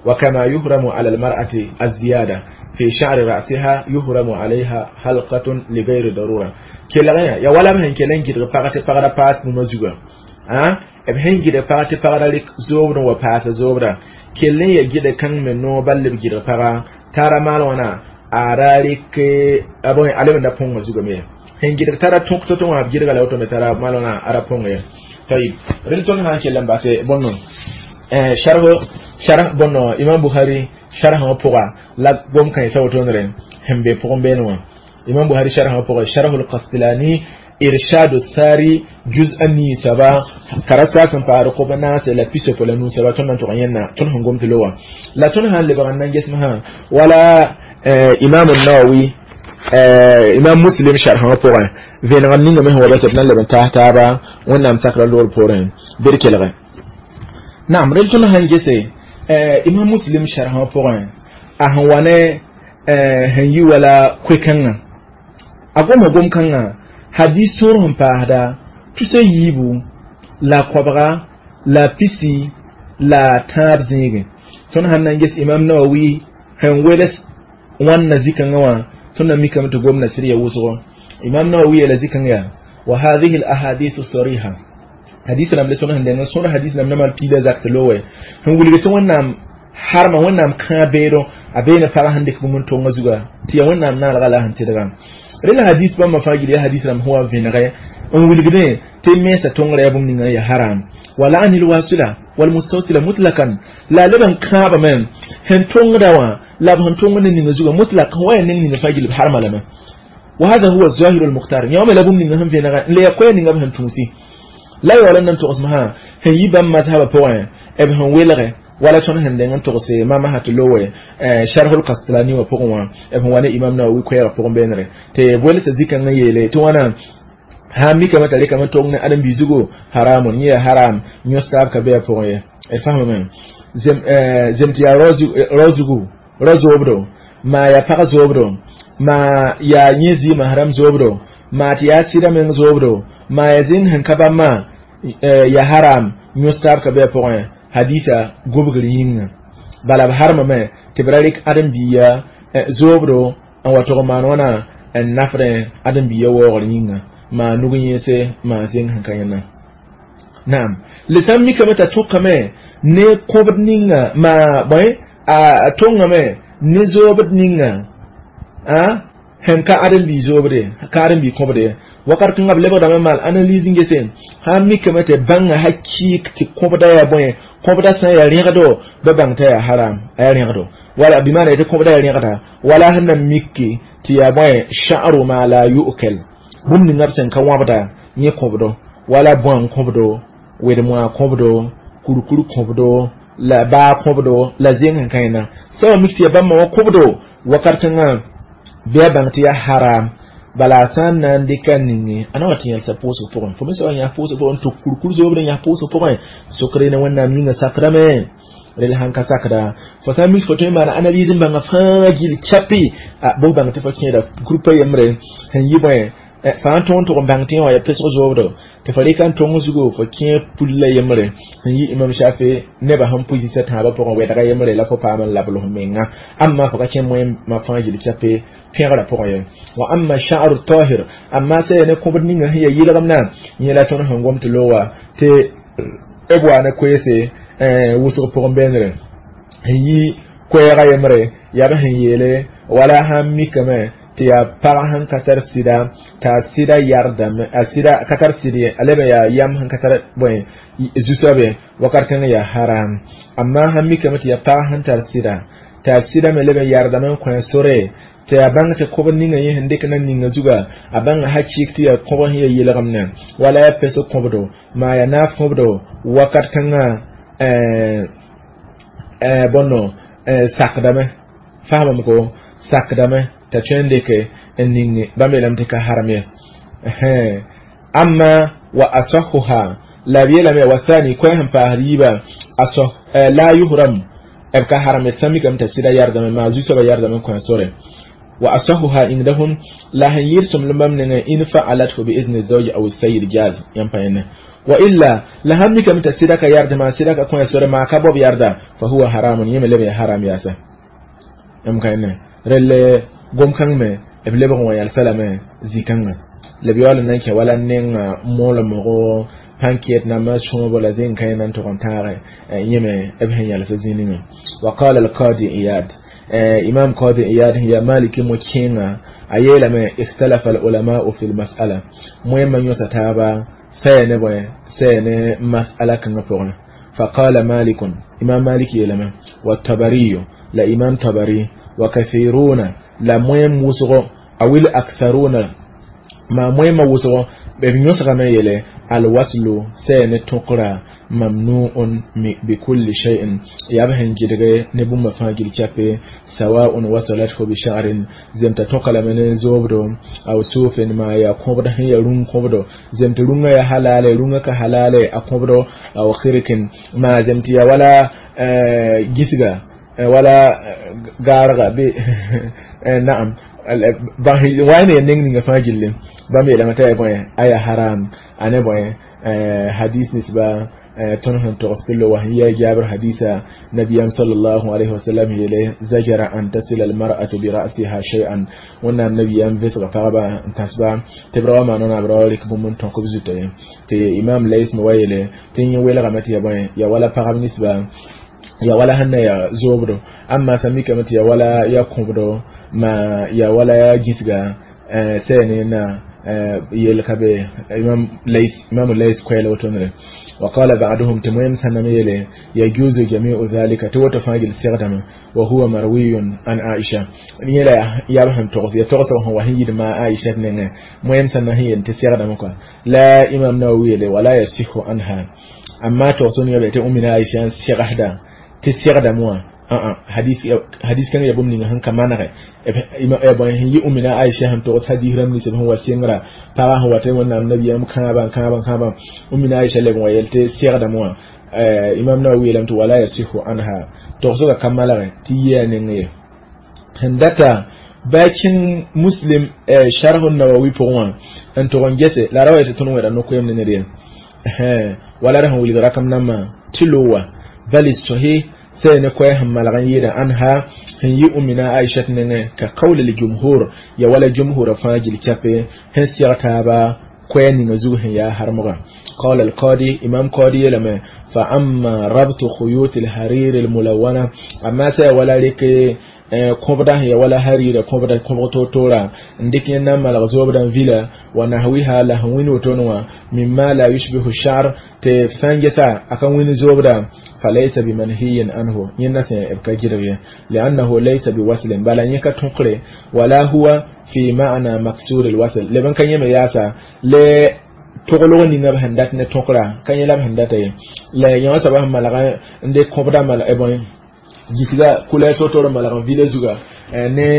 وكما يحرم على المرأة الزيادة في شعر رأسها يحرم عليها حلقة لغير ضرورة كلا يا ولا من كلن جد فقط فقط باس ممزوغا ها eb sẽn gɩdg pag tɩ pagra rɩk zoobd n wa paasa zoobda kell n ya gɩdg kãng me noog bal b gɩdg paga tara maal wãna a ra rɩk a lebenda põngã zugame sẽn gɩdg tara tõk to-to wã b gɩdga la woto me tara maal wãna a ra põnga ye. Tayib rel tõnd sã n kell n base bõnno sharh sharh bõnno Imam Bukhari sharhã wã pʋga la gom kãensã wotondre sẽn be pʋgẽ beene wã Imam Bukhari sharhã wã pʋgẽ Sharh al-Qastilani إرشاد الساري جزء نيسبا كرسا سن فارقو بناس لا بيسو فلا نوسبا تون تغينا تون هنغوم تلوا لا تون هان لبغان جسمها ولا آه إمام النووي آه إمام مسلم شرح بوغان فين غنين من هو بس ابن لبن تحتابا ونام سكر لور بورين بركلغ. نعم رجل تون هان جسي آه إمام مسلم شرح بوغان أهوانه آه هني ولا كويكنا أقوم أقوم كنا hadis sor sẽn paasda tusa yiibu la koabga la pisi la tãab zẽege tõnd sãn na n ges Imam Nawawi sẽn wels wãnna zikãngã wã tõnd na mikame tɩ gomda sɩd ya wʋsgo Imam Nawawi yeela zikãng yaa wa hadhihi al ahadithu sariha hadis rãmb le tõnd sẽn deng n sõd hadis rãmb na mal piila zak tɩ lowe sẽn wilg tɩ Wẽnnaam harma Wẽnnaam kãa beedo a beene pagã sẽn dɩk bũmb n tonga zuga tɩ yaa Wẽnnaam naalga la sẽn tɩdga rel hadis bãmba fãa gil yaa hadis rãmb sẽn wa vẽnegɛ n wilgdẽ tɩ mensa tõngrã yaa bũmb ninga ya haram wala anil wasila wal mustawsila mutlakan la leb n kãabame sẽn tõngda wã la b sẽn tõng ne ninga zuga mutlak sẽn wa yaa neng ninga fãa gil b harma lame wa hada huwa zahiru almukhtar yã wame la bũmb ninga sẽn vẽnega n le ya koɛɛ ninga b sẽn tũusi la yaool n na n togsem sã sẽn yi bãmb mazhaba pʋgẽ b sẽn welge wala tõnd sẽn deng n togse mama sã tɩ lowe Sharh al-Qastilani wã pʋgẽ wã b sẽn wa ne Imam Nawawi koɛɛgã pʋgẽ beenere tɩ welsa zikãngã yeele tɩ wãna sã n mikame t'a rɩkame tong ne ãdem-biig zugu haramun yẽ yaa haram yõs taab ka be a pʋgẽ ye d fasmame zem tɩ yaa rao zugu rao zoobdo maa yaa pag zoobdo maa yaa yẽ zɩɩmã haram zoobdo maa tɩ yaa sɩda meng zoobdo maa yaa zĩnd sẽn ka bãmb maa yaa haram yõs taab ka be a pʋgẽ hadisa gobgr yĩnga bala b harmame tɩ b ra rɩk ãdem-biiga zoobdo n wa tog n maan wãna n nafdẽ ãdem-biiga waoogr yĩnga maa nug yẽese maa zẽng sẽn ka yẽna naam le sã n mikame t'a tõkame ne kõbd ninga maa bõe a tõngame ne zoobd ninga a sẽn ka ãdem-bii zoobde ka ãdem-bii kõbde wakat kãngã b lebgdame maal analyse n gese sã n mikame tɩ bãnga hakɩɩk tɩ kõbda yaa bõe kõbda sã n yaa rẽgdo ba bãng t'a yaa haram a yaa rẽgdo wala bɩmaana tɩ kõbda yaa rẽgda wala sẽn na miki tɩ yaa bõe sha'ru ma la yu'kal bũmb ninga b sẽn ka wãbda yẽ kõbdo wala bõan kõbdo wed-moa kõbdo kurkur kõbdo la baa kõbdo la zẽng sẽn ka yẽna sã wa mik tɩ yaa bãmba wã kõbdo wakat kãngã bɩ a bãng tɩ yaa haram bala sã n na n dɩka ninge a na wa tɩ yẽlsa pʋʋsg pʋgẽ fo me soaba yãs pʋʋsg pʋgẽ tʋk kurkur zoobd n yãs pʋʋsg pʋgẽ sokre ne Wẽnnaam yĩngã sakrame rel sãn ka sakda fo sã n mik fo tõe n maana analyse n bãnga fãa gil chapi bʋ bãng tɩ fo kẽeda groupa yembre sẽn yɩ bõe Fãa tõog n tʋg n bãng tɩ yẽ wã yaa pesg zoobdo tɩ fo rɩka n tong zugu fo kẽ pul la yembre n yi imam Shafi nebã sẽn pʋ zĩsã tãabã pʋgẽ wɛdga yembre la fo paam n labl f menga amma fo ka kẽ moẽmã fãa gil chape pẽgrã pʋgẽ ye wa amma sha'ru tahir amma sã ya ne kõbd ninga sẽn ya yɩlgemdã yẽ la tõnd sẽn gom tɩ loog tɩ b wa ne koeese wʋsg pʋgẽ bẽenere n yi koɛɛga yembre yaa b sẽn yeele wala sãn mikame tɩ yaa pag sẽn ka tar sɩda t'a sɩda yardame a sɩda ka tar sɩd ye a leb n yaa yam sẽn ka tar bõe zu-soabe wakat kãng yaa haram amma sãn mikame tɩ yaa pag sẽn tar sɩda t'a sɩda me leb n yardame n kõ sore tɩ a bãng tɩ kõbd ninga yẽ sẽn dɩk na ninga zuga a bãnga hakɩɩk tɩ yaa kõb sẽn ya yelgemdã wala yaa pes kõbdo maa yaa naaf kõbdo wakat kãngã bõno sakdame faamame ko sakdame t'a tõe n dɩke n ning bãmb yeelame tɩ ka haram ye amma wa asahuha la b yeelame wa thani koɛ sẽn paasd yiibã asah la yuhram b ka haram ye sã mikame t'a sɩda yardame maa zu-soabã yardame n kõ sore wa asahuha indahum la sẽn yɩɩd sõmblem bãmb nengẽ in faalathu biizni zawji aw sayyid jaz yãmb pa yẽne wa illa la sãn mikame t'a sɩda ka yarde maa sɩda ka kõ sore maa ka bob yarda fa huwa haramun yẽ me leb yaa haram yaasa yãmb ka yẽne relle gom-kãng me b lebg n wa yalsa lame zĩ-kãngã la b yaool n na n kẽ wala nenga moolmgo pãn-ket nambã sõobo la zẽn-kã yẽ na n tʋg n tãage yẽ me b sẽn yalsa zĩ ninga wa qala alqadi iyad imam qadi iyad sẽn yaa maliki mo-kẽenga a yeelame ikhtalafa alulamau fi lmas'ala moẽmã yõsa taaba saya ne bõe saya ne mas'ala kãngã pʋgẽ فقال مالك إمام مالك يلما والطبري لا إمام طبري وكثيرون لا مويم وسغو أو الأكثرون ما مويم وسغو بينيوسغ ما يلي الوصل سين تقرا ممنوع بكل شيء يبهن جدغ نبوم فاجل كابي سواء وصلته بشعر زمت تقل من زوبدو أو سوف ما يقبض هي رون قبضو زمت رون يا حلال رون كحلال أقبضو أو خرك ما زمت يا ولا جسغا ولا غارغا بي نعم wani neng ninga fãa gilli bãmb yeelame t'a yaa bõe aya haram ane bõe hadis nisba tõnd sẽn togs tɩ lo wa sẽn yaa jaabr hadisa nabiyam sallallahu alayhi wasallam yeele zajara an tasila almar'atu bi ra'siha shay'an wẽnnaam nabiyam vɩsga pagba n tãsba tɩ b ra wa maan b ra wa rɩk bũmb n tõk b zuta ye tɩ imam lais me wa yeele tɩ yẽ welgame tɩ yaa bõe yaa wala pagb nisba ya wala sẽn na yaa zoobdo amma sã mikame tɩ ya wala ya kõbdo ma ya wala ya gĩsga sɛ ne na yel ka be imam lais imam lais koɛɛla wotonre وقال بعضهم تمام سنم يلي يجوز جميع ذلك توت فاجل سيغدم وهو مروي عن عائشة يلا يبهم تغس يتغس وهو هي ما عائشة نين مهم سنة هي تسيغدم لا إمام نووي ولا يصح عنها أما تغسون يبقى أمنا عائشة سيغهدا تسيغدم hadis hadis kan ya bũmb ninga sẽn ka manege sẽn yɩ umina Aisha sẽn togs hadis rãmb nins b sẽn wa sɩngra pagã sẽn wa tɩ wẽnnaam nabiyam kãabã kãabã kãabã umina Aisha leb n wa yel tɩ segdame wã imam Nawawi yeelame tɩ wala yasihu anha togsgã ka malge tɩ yɩ a neng ye sẽn data bɩ kẽng muslim sharh nawawi pʋgẽ wã n tʋg n gese la ra wa yetɩ tõnd wẽda no-koeem ne ned ye wala ra sẽn wilg rakam nambã tɩ lowa bal sahih سين كويه ملغن يدا عنها هي أمنا عائشة نene كقول الجمهور يا ولا جمهور فاجل كابي هن سيغتابا كويه نزوه يا هرمغا قال القاضي إمام قاضي لما فأما ربط خيوط الحرير الملونة أما سي ولا لك kõbda ya wala harira kõbda kõbg toor-toora n dɩk yẽnd na n malg zoobdã vila wa nahwiha la sẽn wĩnd wotone wã mimma la yushbihu sha'r tɩ f sã n gesa a ka wĩnd zoobda falaysa bimanhiyin anhu yẽnda sẽn b ka gɩdg ye liannahu laysa biwaslin bala yẽ ka tõkre wala huwa fi ma'na maksur alwasl leb n ka yẽme yaasa le toglg ninga b sẽn dat ne tõkra ka yẽ la b sẽn data ye la yã wã soaba sẽn malga n dɩk kõbda mal bõe gisga kula to-toor n malg n vila zuga ne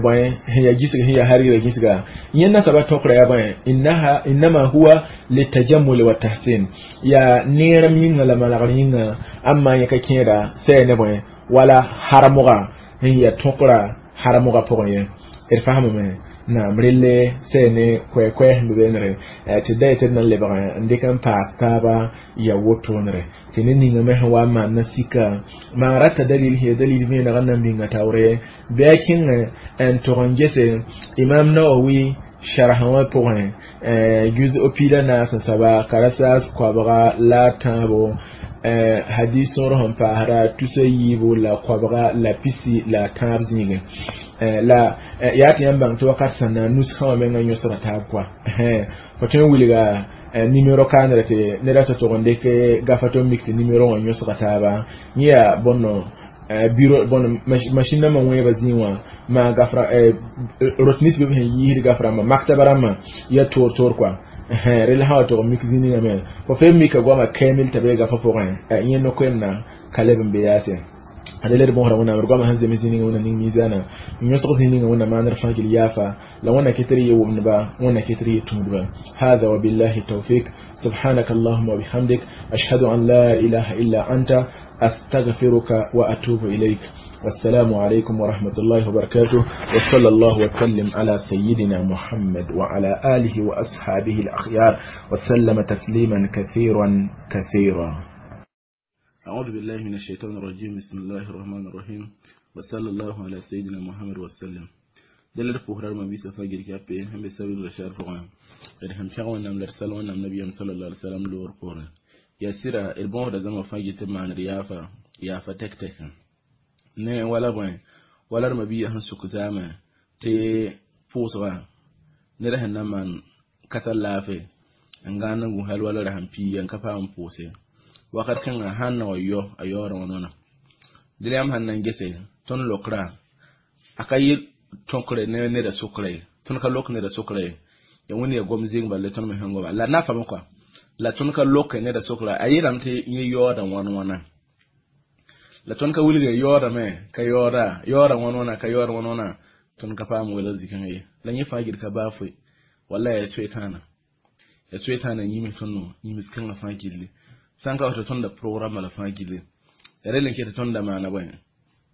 bõe sẽn yaa gisg sẽn yaa harira gisga yẽnda soaba tõkra yaa bõe innaha innama huwa litajammul wa tahsin yaa neerem yĩnga la malgr yĩnga amma yẽ ka kẽeda sɛ ne bõe wala harmga sẽn yaa tõkra harmga pʋgẽ ye d faamame Naam relle sene kwe kwe sẽn be beenre tɩ da yetɩ d na n lebg n dɩk n paas taaba ya wotoonre tɩ ne ninga me sẽn wa n maan na sika maan rata dalil sẽn ya dalil vẽeneg n na n bĩnga taoore bɩ a kẽng n tog n gese Imam Nawawi sharh wã pʋgẽ juz piig la naas n soaba karasaas koabga la a tãabo hadis sõor sẽn paasda tusa yiibu la koabga la pisi la tãab zĩigẽ la yaa tɩ yãmb bãng tɩ wakat sẽn na nusgã wã menga yõsda taab koa fo tõe n wilga nimero kaanre tɩ neda tɩ tog n dɩk gafa tɩ mik tɩ nimero wã yõsga taaba yẽ yaa bõnno bureau bõn machine nambã wẽeba zĩig wã maa gafra rot nins bɩ b sẽn yiisd gaf rãmbã maktaba rãmbã ya toor toor koa rel sã wa tog n mik zĩ ninga me fo fee mika goama kamil t'a bee gafã pʋgẽ yẽ no-koɛɛm-na ka leb n be yaase adele d bõosda wẽnnaam d goamã sẽn zems zĩ ninga wẽnna ning miizaanã n yõsg zĩ ninga wẽnna maandr fãa gil yaafa la wẽnna ket d yɩ wʋmdba wẽnna ket d yɩ tũudba hada wabillahi tawfik سبحانك اللهم وبحمدك أشهد أن لا إله إلا أنت أستغفرك وأتوب إليك والسلام عليكم ورحمة الله وبركاته وصلى الله وسلم على سيدنا محمد وعلى آله وأصحابه الأخيار وسلم تسليما كثيرا كثيرا. أعوذ بالله من الشيطان الرجيم. بسم الله الرحمن الرحيم وصلى الله على سيدنا محمد وسلم. دلر بوهرار ما بيسا فاجر كابي هم بسبب الرشار فقام هم شغوان نام لرسال ونام نبي صلى الله عليه وسلم لور بورن يا سيرا البون da zama fage ta man riyafa ya fa tek tek ne wala boy wala ma biya han suku zama te poswa ne da hanna man kasar lafe an ganan gun hal wala rahan piyan kafa an pose wakat kan hanna wayo ayora wonona dilam hannan gese ton lokra akayi tonkre ne ne da sukre ton ka lok ne da sukre ya woni ya gom zing balle ton me hango la na fa ko la ton ka lok ne da sukra ayiram te yi yoda won wona la ton ka wulge yoda me ka yoda yoda won wona ka yoda won wona ton ka fam wala zikan yi la nyi fagir ka bafu wallahi ya tswetana ya tswetana yi mi tonno yi mi kan fagirle sanka wata ton da program la fagirle relen ke ton da mana boy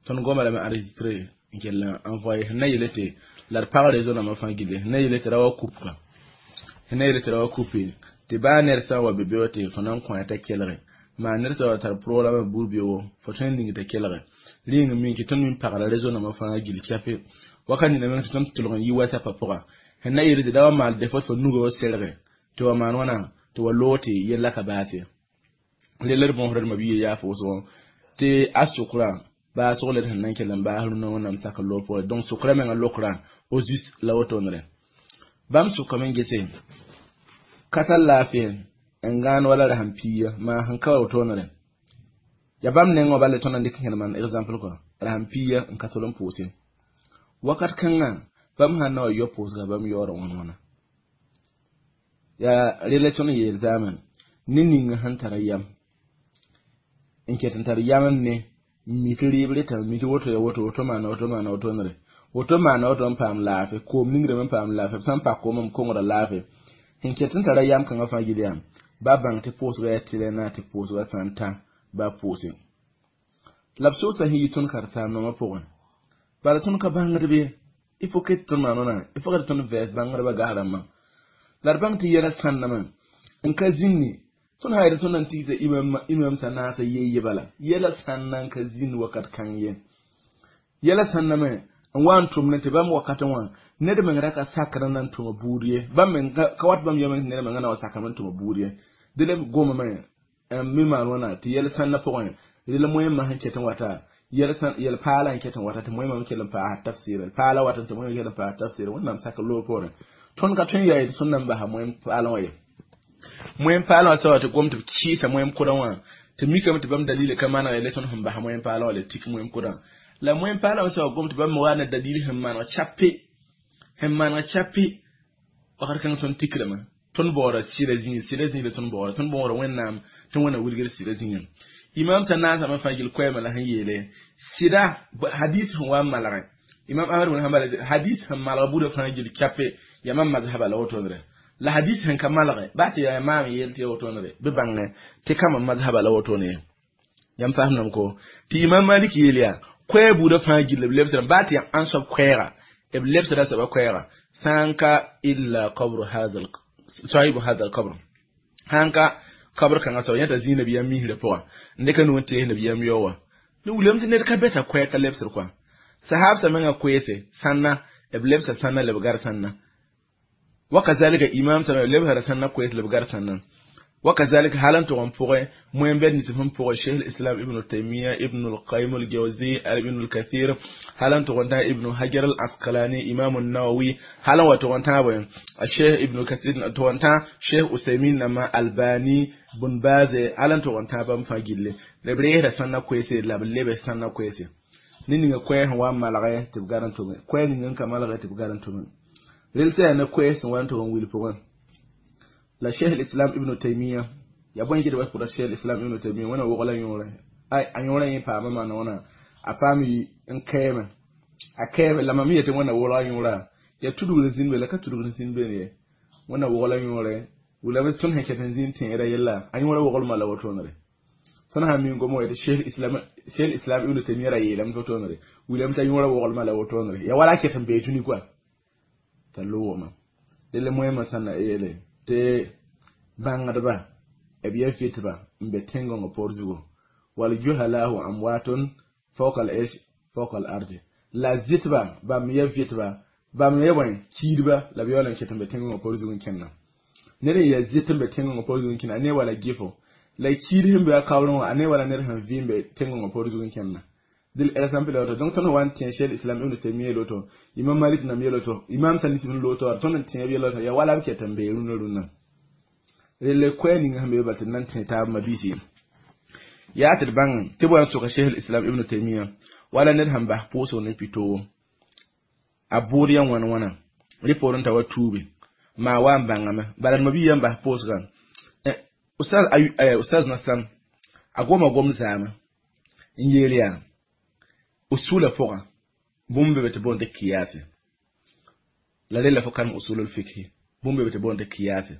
ton goma la ma enregistrer nkella envoyer na yelete la parle zona ma fagirle na yelete rawa coupe na yelete rawa coupe te ba ner sa wa bebe wote fanan kwa ta kelre ma ner sa wa tar program burbio fo trending ta kelre ling min ki ton min parle zona ma fagirle kafe wakani na men ton tulon yi WhatsApp pora na yelete dawa mal defo fo nugo selre to wa man wana to wa lote yella ka baate leler bon horar mabiye ya fo so te asukura ba sogle tan nan kelan ba haruna wannan saka lofo donc sukura men lokra ozus la wotonre bam suka men gese kasal lafiya en gan wala rahampiya ma han ka wotonre ya bam ne ngo balle tonan dikin man example ko rahampiya en kasolon pose wakat kanga bam hanna yo pose bam yoro wona ya relation yel zaman ninin han tarayam in ke tantar yaman ne mitiri breta miti woto ya woto woto mana woto mana woto nre woto mana woto pam lafe ko ningre men pam lafe sam pa ko mom ko ngora lafe in ke tantar yam kan afa gidiyam ba bang te post ga tile na te post ga santa ba post labso sa hi ton karta no ma pogon ba ton ka bangre be il faut que ton manona il faut que ton vers bangre ba garama larbang ti yera sanna man in ka zinni ton hayre ton nan tiza imam imam sanasa yeye bala yela sannan ka zin wakat kan ye yela sanna men wan tum ne te bam wakat wan ne de men raka sakra nan tuma buriye bam men ka wat bam yemen ne de men na sakra nan tuma buriye de le goma men mi man wana ti yela sanna pogon de le moyen ma han ketan wata yela san yel pala han ketan wata te moyen ma kelan pa tafsir pala wata te moyen kelan pa tafsir wannan saka lo pore ton ka tun yayi sunan ba ha moyen pala waye moyen pala wata ta gwamnati ci sa moyen kudan wa ta mika mata bam dalili kama na election hum ba moyen pala wala tik moyen kudan la moyen pala wata gwamnati bam wana dalili hum man wa chappe hum man wa chappe wakar kan son tikrama ton bora sira zin sira zin le ton bora ton bora wennam ton wana wulgir sira zin imam tanasa ma fagil koyma la han yele sira hadith hum wa malare imam ahmad bin hanbal hadith hum malare buda fagil chappe yamam mazhaba la wotondre la hadith hen kamalare ba ti ya imam yelti wotonre be bangne te kama mazhaba la wotone yam fahmnam ko ti imam malik yeliya kwe buda fagil lebsra ba ti an sob kwera e lebsra saba kwera sãn ka illa qabru hadha sahibu hadha alqabr sãn ka kabr kãngã soab yãta zĩig nabiyaam misrã pʋga n dɩka nu n tees nabiyaam yao wã ne wilame tɩ ned ka bɛsa koɛɛg ka lebsd kɔa sahabsã mengã koeese sãnna b lebsa sãnna la b gar sãnna wakazalika imam sã lebsra sãnna koees la b gar sãnna وكذلك حالا تغن بوغي مهم بين نسفهم بوغي شيخ الإسلام ابن تيمية ابن القيم الجوزي ابن الكثير حالا تغن ابن حجر العسقلاني إمام النووي حالا وتغن تابع الشيخ ابن كثير تغن شيخ أسيمين نما الباني بن باز حالا تغن تابع مفاجل لبريه سنة كويسة لبلبه سنة كويسة نيني كويه هو مالغي تبغارن تومي كويه نيني كمالغي تبغارن تومي ريلسي أنا كويه سوان تغن ويل بوغن la cheikh l'islam ibn taymiya ya bõe gɩdba pʋga cheikh l'islam ibn taymiya wẽna wogla yõore ay a yõorã yẽ paama maana wãna a paam n kɛɛme a kɛɛme la mam yetɩ wẽnna wogla yõora ya tudgr n zĩnd be la ka tudgr n zĩnd beene ye wẽnna wogla yõore wilame tõnd sẽn ket n zĩnd tẽedã yella a yõorã woglmã la wotoonere tõnd sã min gom wa tɩ cheikh islam cheikh islam ibn taymiya ra yeelame tɩ wotoonere wilame t'a yõorã woglmã la wotoonere ya wala a ket n bee dũni koa t'a loogame delle moẽmã sãn na yeele tɩ bãngdba b ya vɩtba n be tẽn-gõngã poor zugu wal juhalahu amwatun fawqa al ish fawqa al ardi la zɩtba bãmb ya vɩtba bãmb ya bõe kiidba la b yaool n ket n be tẽn-gõngã poor zugu n kẽnna ned n ya zɩt n be tẽn-gõngã poor zugu n kẽnna a ne wala gɩfo la kiid sẽn be a kaoorẽ wã a ne wala ned sẽn vɩ n be tẽn-gõngã poor zugu n kẽnna dil exemple la donc tõnd wa n tẽ cheikh islam ibn taymiya loto imam malik nam yeloto imam sanis ibn loto tõnd n tẽ b yeloto ya wala b ket n bee rũnã rũnã relle koɛɛ ninga sẽn be bal tɩ d nan tẽ taab mabiisi yaa tɩ d bãng tɩ b wa n soka cheikh islam ibn taymiya wala ned sẽn bas pʋʋsg ne pitogo a bʋʋd ya wãn wãna rɩ poorẽ t'a wa tuubi maa wa n bãngame bala d mabi yã n bas pʋʋsgã ustaz ustaz nasam a goma gom zaama n yeel yaa usula pʋgã bũmb be tɩ boond tɩ kiyase la rella fo karem usul lfikhi bũmb be tɩ boond tɩ kiyase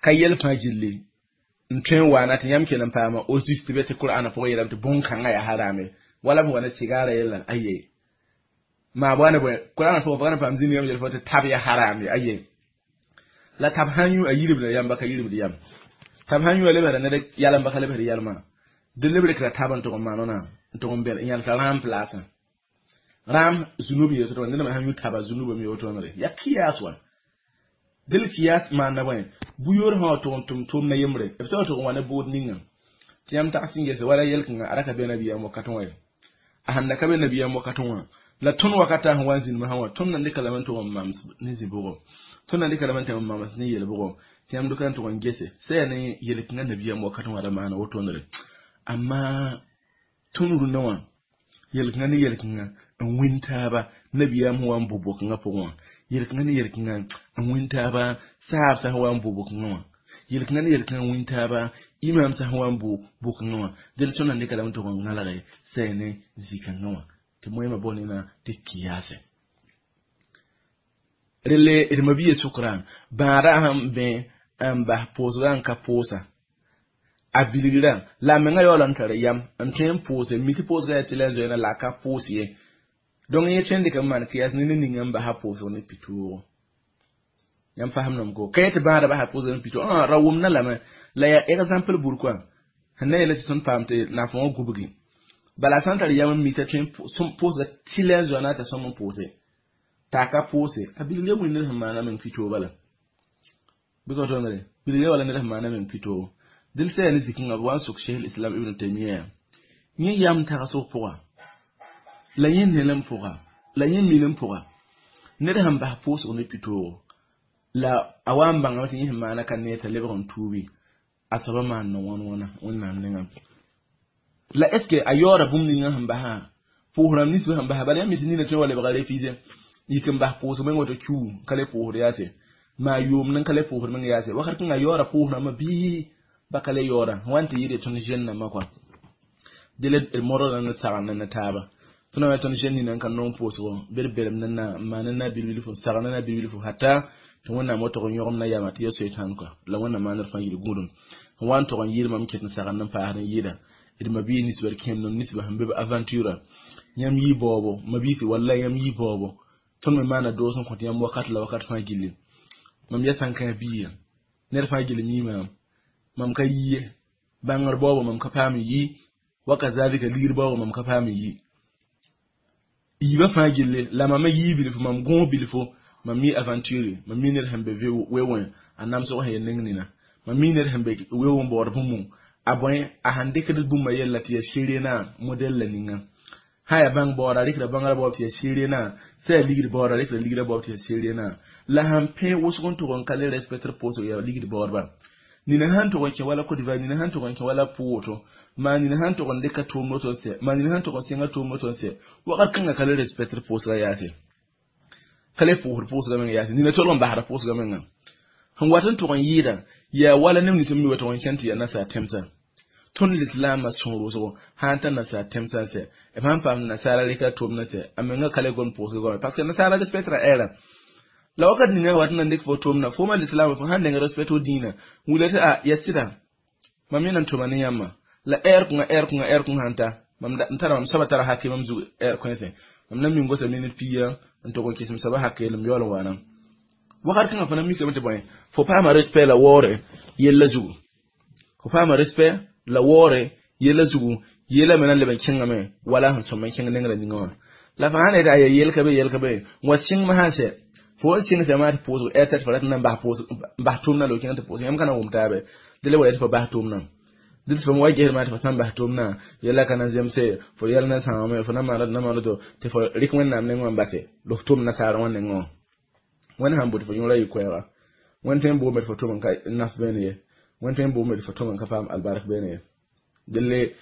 ka yɛl fãa gilli n tõe n waana tɩ yãmb kell n paama o zis tɩ be tɩ qur'ana pʋgẽ yeelame tɩ bõn-kãngã yaa harame wala b wa ne sigaara yella aye maa bõa ne bõe qur'ana pʋgẽ fo ka na paam zĩnd yãmb yel fo tɩ tab yaa harame aye la tab sãn yũ a yiribda yãmba ka yiribd yam tab sãn yũ a lebsda ned yalamba ka lebsd yalmã dɩ leb rɩkra tab n tʋg n maan wãna n tʋg n bɛl n yãlsa rãam plaasã rãam zunub yel tɩ ned sãn yũ taba zunubame wotoonre yaa kiyas wã dil kiyas maanda bõe bu-yoor sã wa tʋg n tʋm tʋʋmdã yembre b sã wa tʋg n wa ne bood ninga tɩ yãmb tags n gese wala yɛl-kãngã a ra ka be nabiyaam wakatẽ wã ye a sãn da ka be nabiyaam wakatẽ wã la tõnd wakata sẽn wa n zĩndmã wã tõnd na n dɩka lame n tʋg n mams ne zĩ-bʋgo tõnd na n dɩka lame n tɩ n mams ne yel-bʋgo tɩ yãmb dʋka n tʋg n gese sã yaa ne yel-kãngã nabiyaam wakatẽ wã ra maana wotoonre amma tõnd rũndã wã yel-kãngã ne yel-kãngã n wĩn taaba nabiyaam sẽn wa n bʋ bʋ-kãngã pʋgẽ wã yel-kãngã ne yel-kãngã n wĩn taaba saab sã sẽn wa n bʋ bʋ-kãngã wã yel-kãngã ne yel-kãngã n wĩn taaba imam sã sẽn wa n bʋ bʋ-kãngã wã dẽl tõnd na n dɩka lame tʋg n gãlge sã yaa ne zĩ-kãngã wã tɩ moẽmã boonena tɩ kiyase relle d mabia sʋkrã bãadã sẽn bẽ n bas pʋʋsgã n ka pʋʋsa a bilgrã la a menga yaool n tar yam n tõe n pʋʋse mi tɩ pʋʋsgã yaa tɩ la n zoeena la a ka pʋʋs ye donc yẽ tõe n dɩk n maan kɩyas ne ned ninga n basa pʋʋsg ne pitoog yãmb fasemdame ko ka yetɩ bãada basa pʋʋsg ne pitoog ra wʋmda lame la yaa exemple bur koa sẽn na yeela tɩ tõnd paam tɩ naafã wã gubgi bala sã n tar yam n mi t'a tõe n pʋʋsga tɩ la n zoa na t'a sõm n pʋʋse t'a ka pʋʋse a bilga wĩnd ned sẽn maana meng pitoog bala bɩ ka tõndre bilga wala ned sẽn maana meng pitoog dɩl sã yaa ne zĩ-kãngã b wa n sok cheikh islam ibn taymiya yẽ yam tagsg pʋga la yẽ nelem pʋga la yẽ minim pʋga ned sẽn bas pʋʋsg ne pitoogo la a wa n bãngame tɩ yẽ sẽn maana ka nee t'a lebg n tuubi a soaba maan na wãn wãna wẽnnaam nengã la est ce que a yaooda bũmb ninga sẽn basã pʋʋs rãmb nins sẽn basa bala yãmb mi tɩ nina tõe wa lebga refuse yik n bas pʋʋsg meng woto kiu ka le pʋʋsd yaase maa yoomd n ka le pʋʋsd meng yaase wakat kẽnga yaooda pʋʋs rãmbã bɩ ba ka le yaooda wa n tɩ yɩɩd tõnd jeune nambã kɔa dɩ la d modgda ne sagend ne taaba tõnd wa tõnd jeune nina n ka nong pʋʋsgo bɩ d belem ne na n maan na bilbilfo sagend na bilbilfo hata tɩ wẽnnaam wa tog n yõgem na yama tɩ ya soetãn kɔa la wẽnnaam maand d fãa yɩl gũudum n wa n tog n yɩɩd mam ket n sagend n paasd n yɩɩda d mabii nisba d kẽemdem nisba sẽn be b aventure yãmb yɩ baoobo mabiisi walla yãmb yɩ baoobo Tõnd me maana doos n kõt yãmb wakat la wakat fãa gilli. Mam ya sãn-kãa biiga ned fãa gill mi maam, mam ka yi ye bãngr baoogo, mam ka paam n yi wa kazalika ligd baoogo, mam ka paam n yi yiibã fãa gilli la mam yii bilfu, mam gõos bilfu, mam mi aventure, mam mi ned sẽn be we-wẽ a namsg sẽn ya neng nina, mam mi ned sẽn be we-wẽ baood bũmb a bõe a sẽn dɩkd bũmba yella tɩ ya sɩrena modɛl la ninga sã yaa bãng baooda a rɩkda bãngrã baoob tɩ ya sɩrena, sã yaa ligd baooda a rɩkda ligrã baoob tɩ ya sɩrena. La sãn pẽ wʋsg n tʋg n ka le respectr pʋʋsg yaa ligd baoodba. Nina sãn tʋg n kẽ wala Côte d'Ivoire, nina sãn tʋg n kẽ wala pʋʋto maa, nina sãn tʋg n dɩka tʋʋmd woto n sɛ maa, nina sãn tʋg n sɩnga tʋʋmd woto n sɛ, wakat kãngã ka le respectr pʋʋsga yaase, ka le pʋʋsd pʋʋsga menga yaase, nina tolg n basda pʋʋsga menga. Sẽn wat n tʋg n yɩɩda yaa wala neb nins n mi wa tʋg n kẽn tɩ yaa nasaar tẽmsã. Tõnd lislaamã sõor wʋsgo sã n tar nasaar tẽmsã n sɛ, b sãn paam nasaara rɩka tʋʋmdã sɛ, a menga ka le gom pʋʋsga goame parce que nasaara respectra ɛɛra la wakat ninga wat n na n dɩk fo tʋʋmdã fo ma lislaamã fo sãn neng respect fo dĩinã wila tɩ a ya sɩda mam yẽ na n tʋma ne yãmba la ɛɛr kõnga ɛɛr kõnga ɛɛr kõnga sãn ta mam n tara mam soaba tara hake mam zug ɛɛr kõese, mam na min gosa minit pia n tʋg n kɩs m soaba hake m yaool n waana wakat kãngã. Fo na mikame tɩ bõe fo paama respect la waoore yella zugu, fo paama respect la waoore yella zugu, yella me na n leb n kẽngame wala sẽn sõm n kẽng nengrã ninga wã. La fo sãn yetɩ a ya yel ka be yel ka be n wa sɩngme sã n sɛ fo n sɩng sã maa tɩ pʋʋsg ɛr tɩ fo rat n na n bas pʋʋsg n bas tʋʋmdã la kẽng tɩ pʋʋsg yãmb ka na n wʋm taabe dɩ la wa yetɩ fo bas tʋʋmdã dɩ tɩ fo wa gesd maa tɩ fo sãn bas tʋʋmdã yella ka na zemse fo yɛl na sãoome fo na maana na maana to tɩ fo rɩk Wẽnnaam nengẽ wã n base la f tʋm nasaar wã nengẽ wã. Wẽnd sãn bʋ tɩ fo yõora yɩ koɛɛga, Wẽnd tõe n boome tɩ fo tʋm n ka naf beene ye, Wẽnd tõe n boome tɩ fo tʋm n ka paam albark beene ye delle.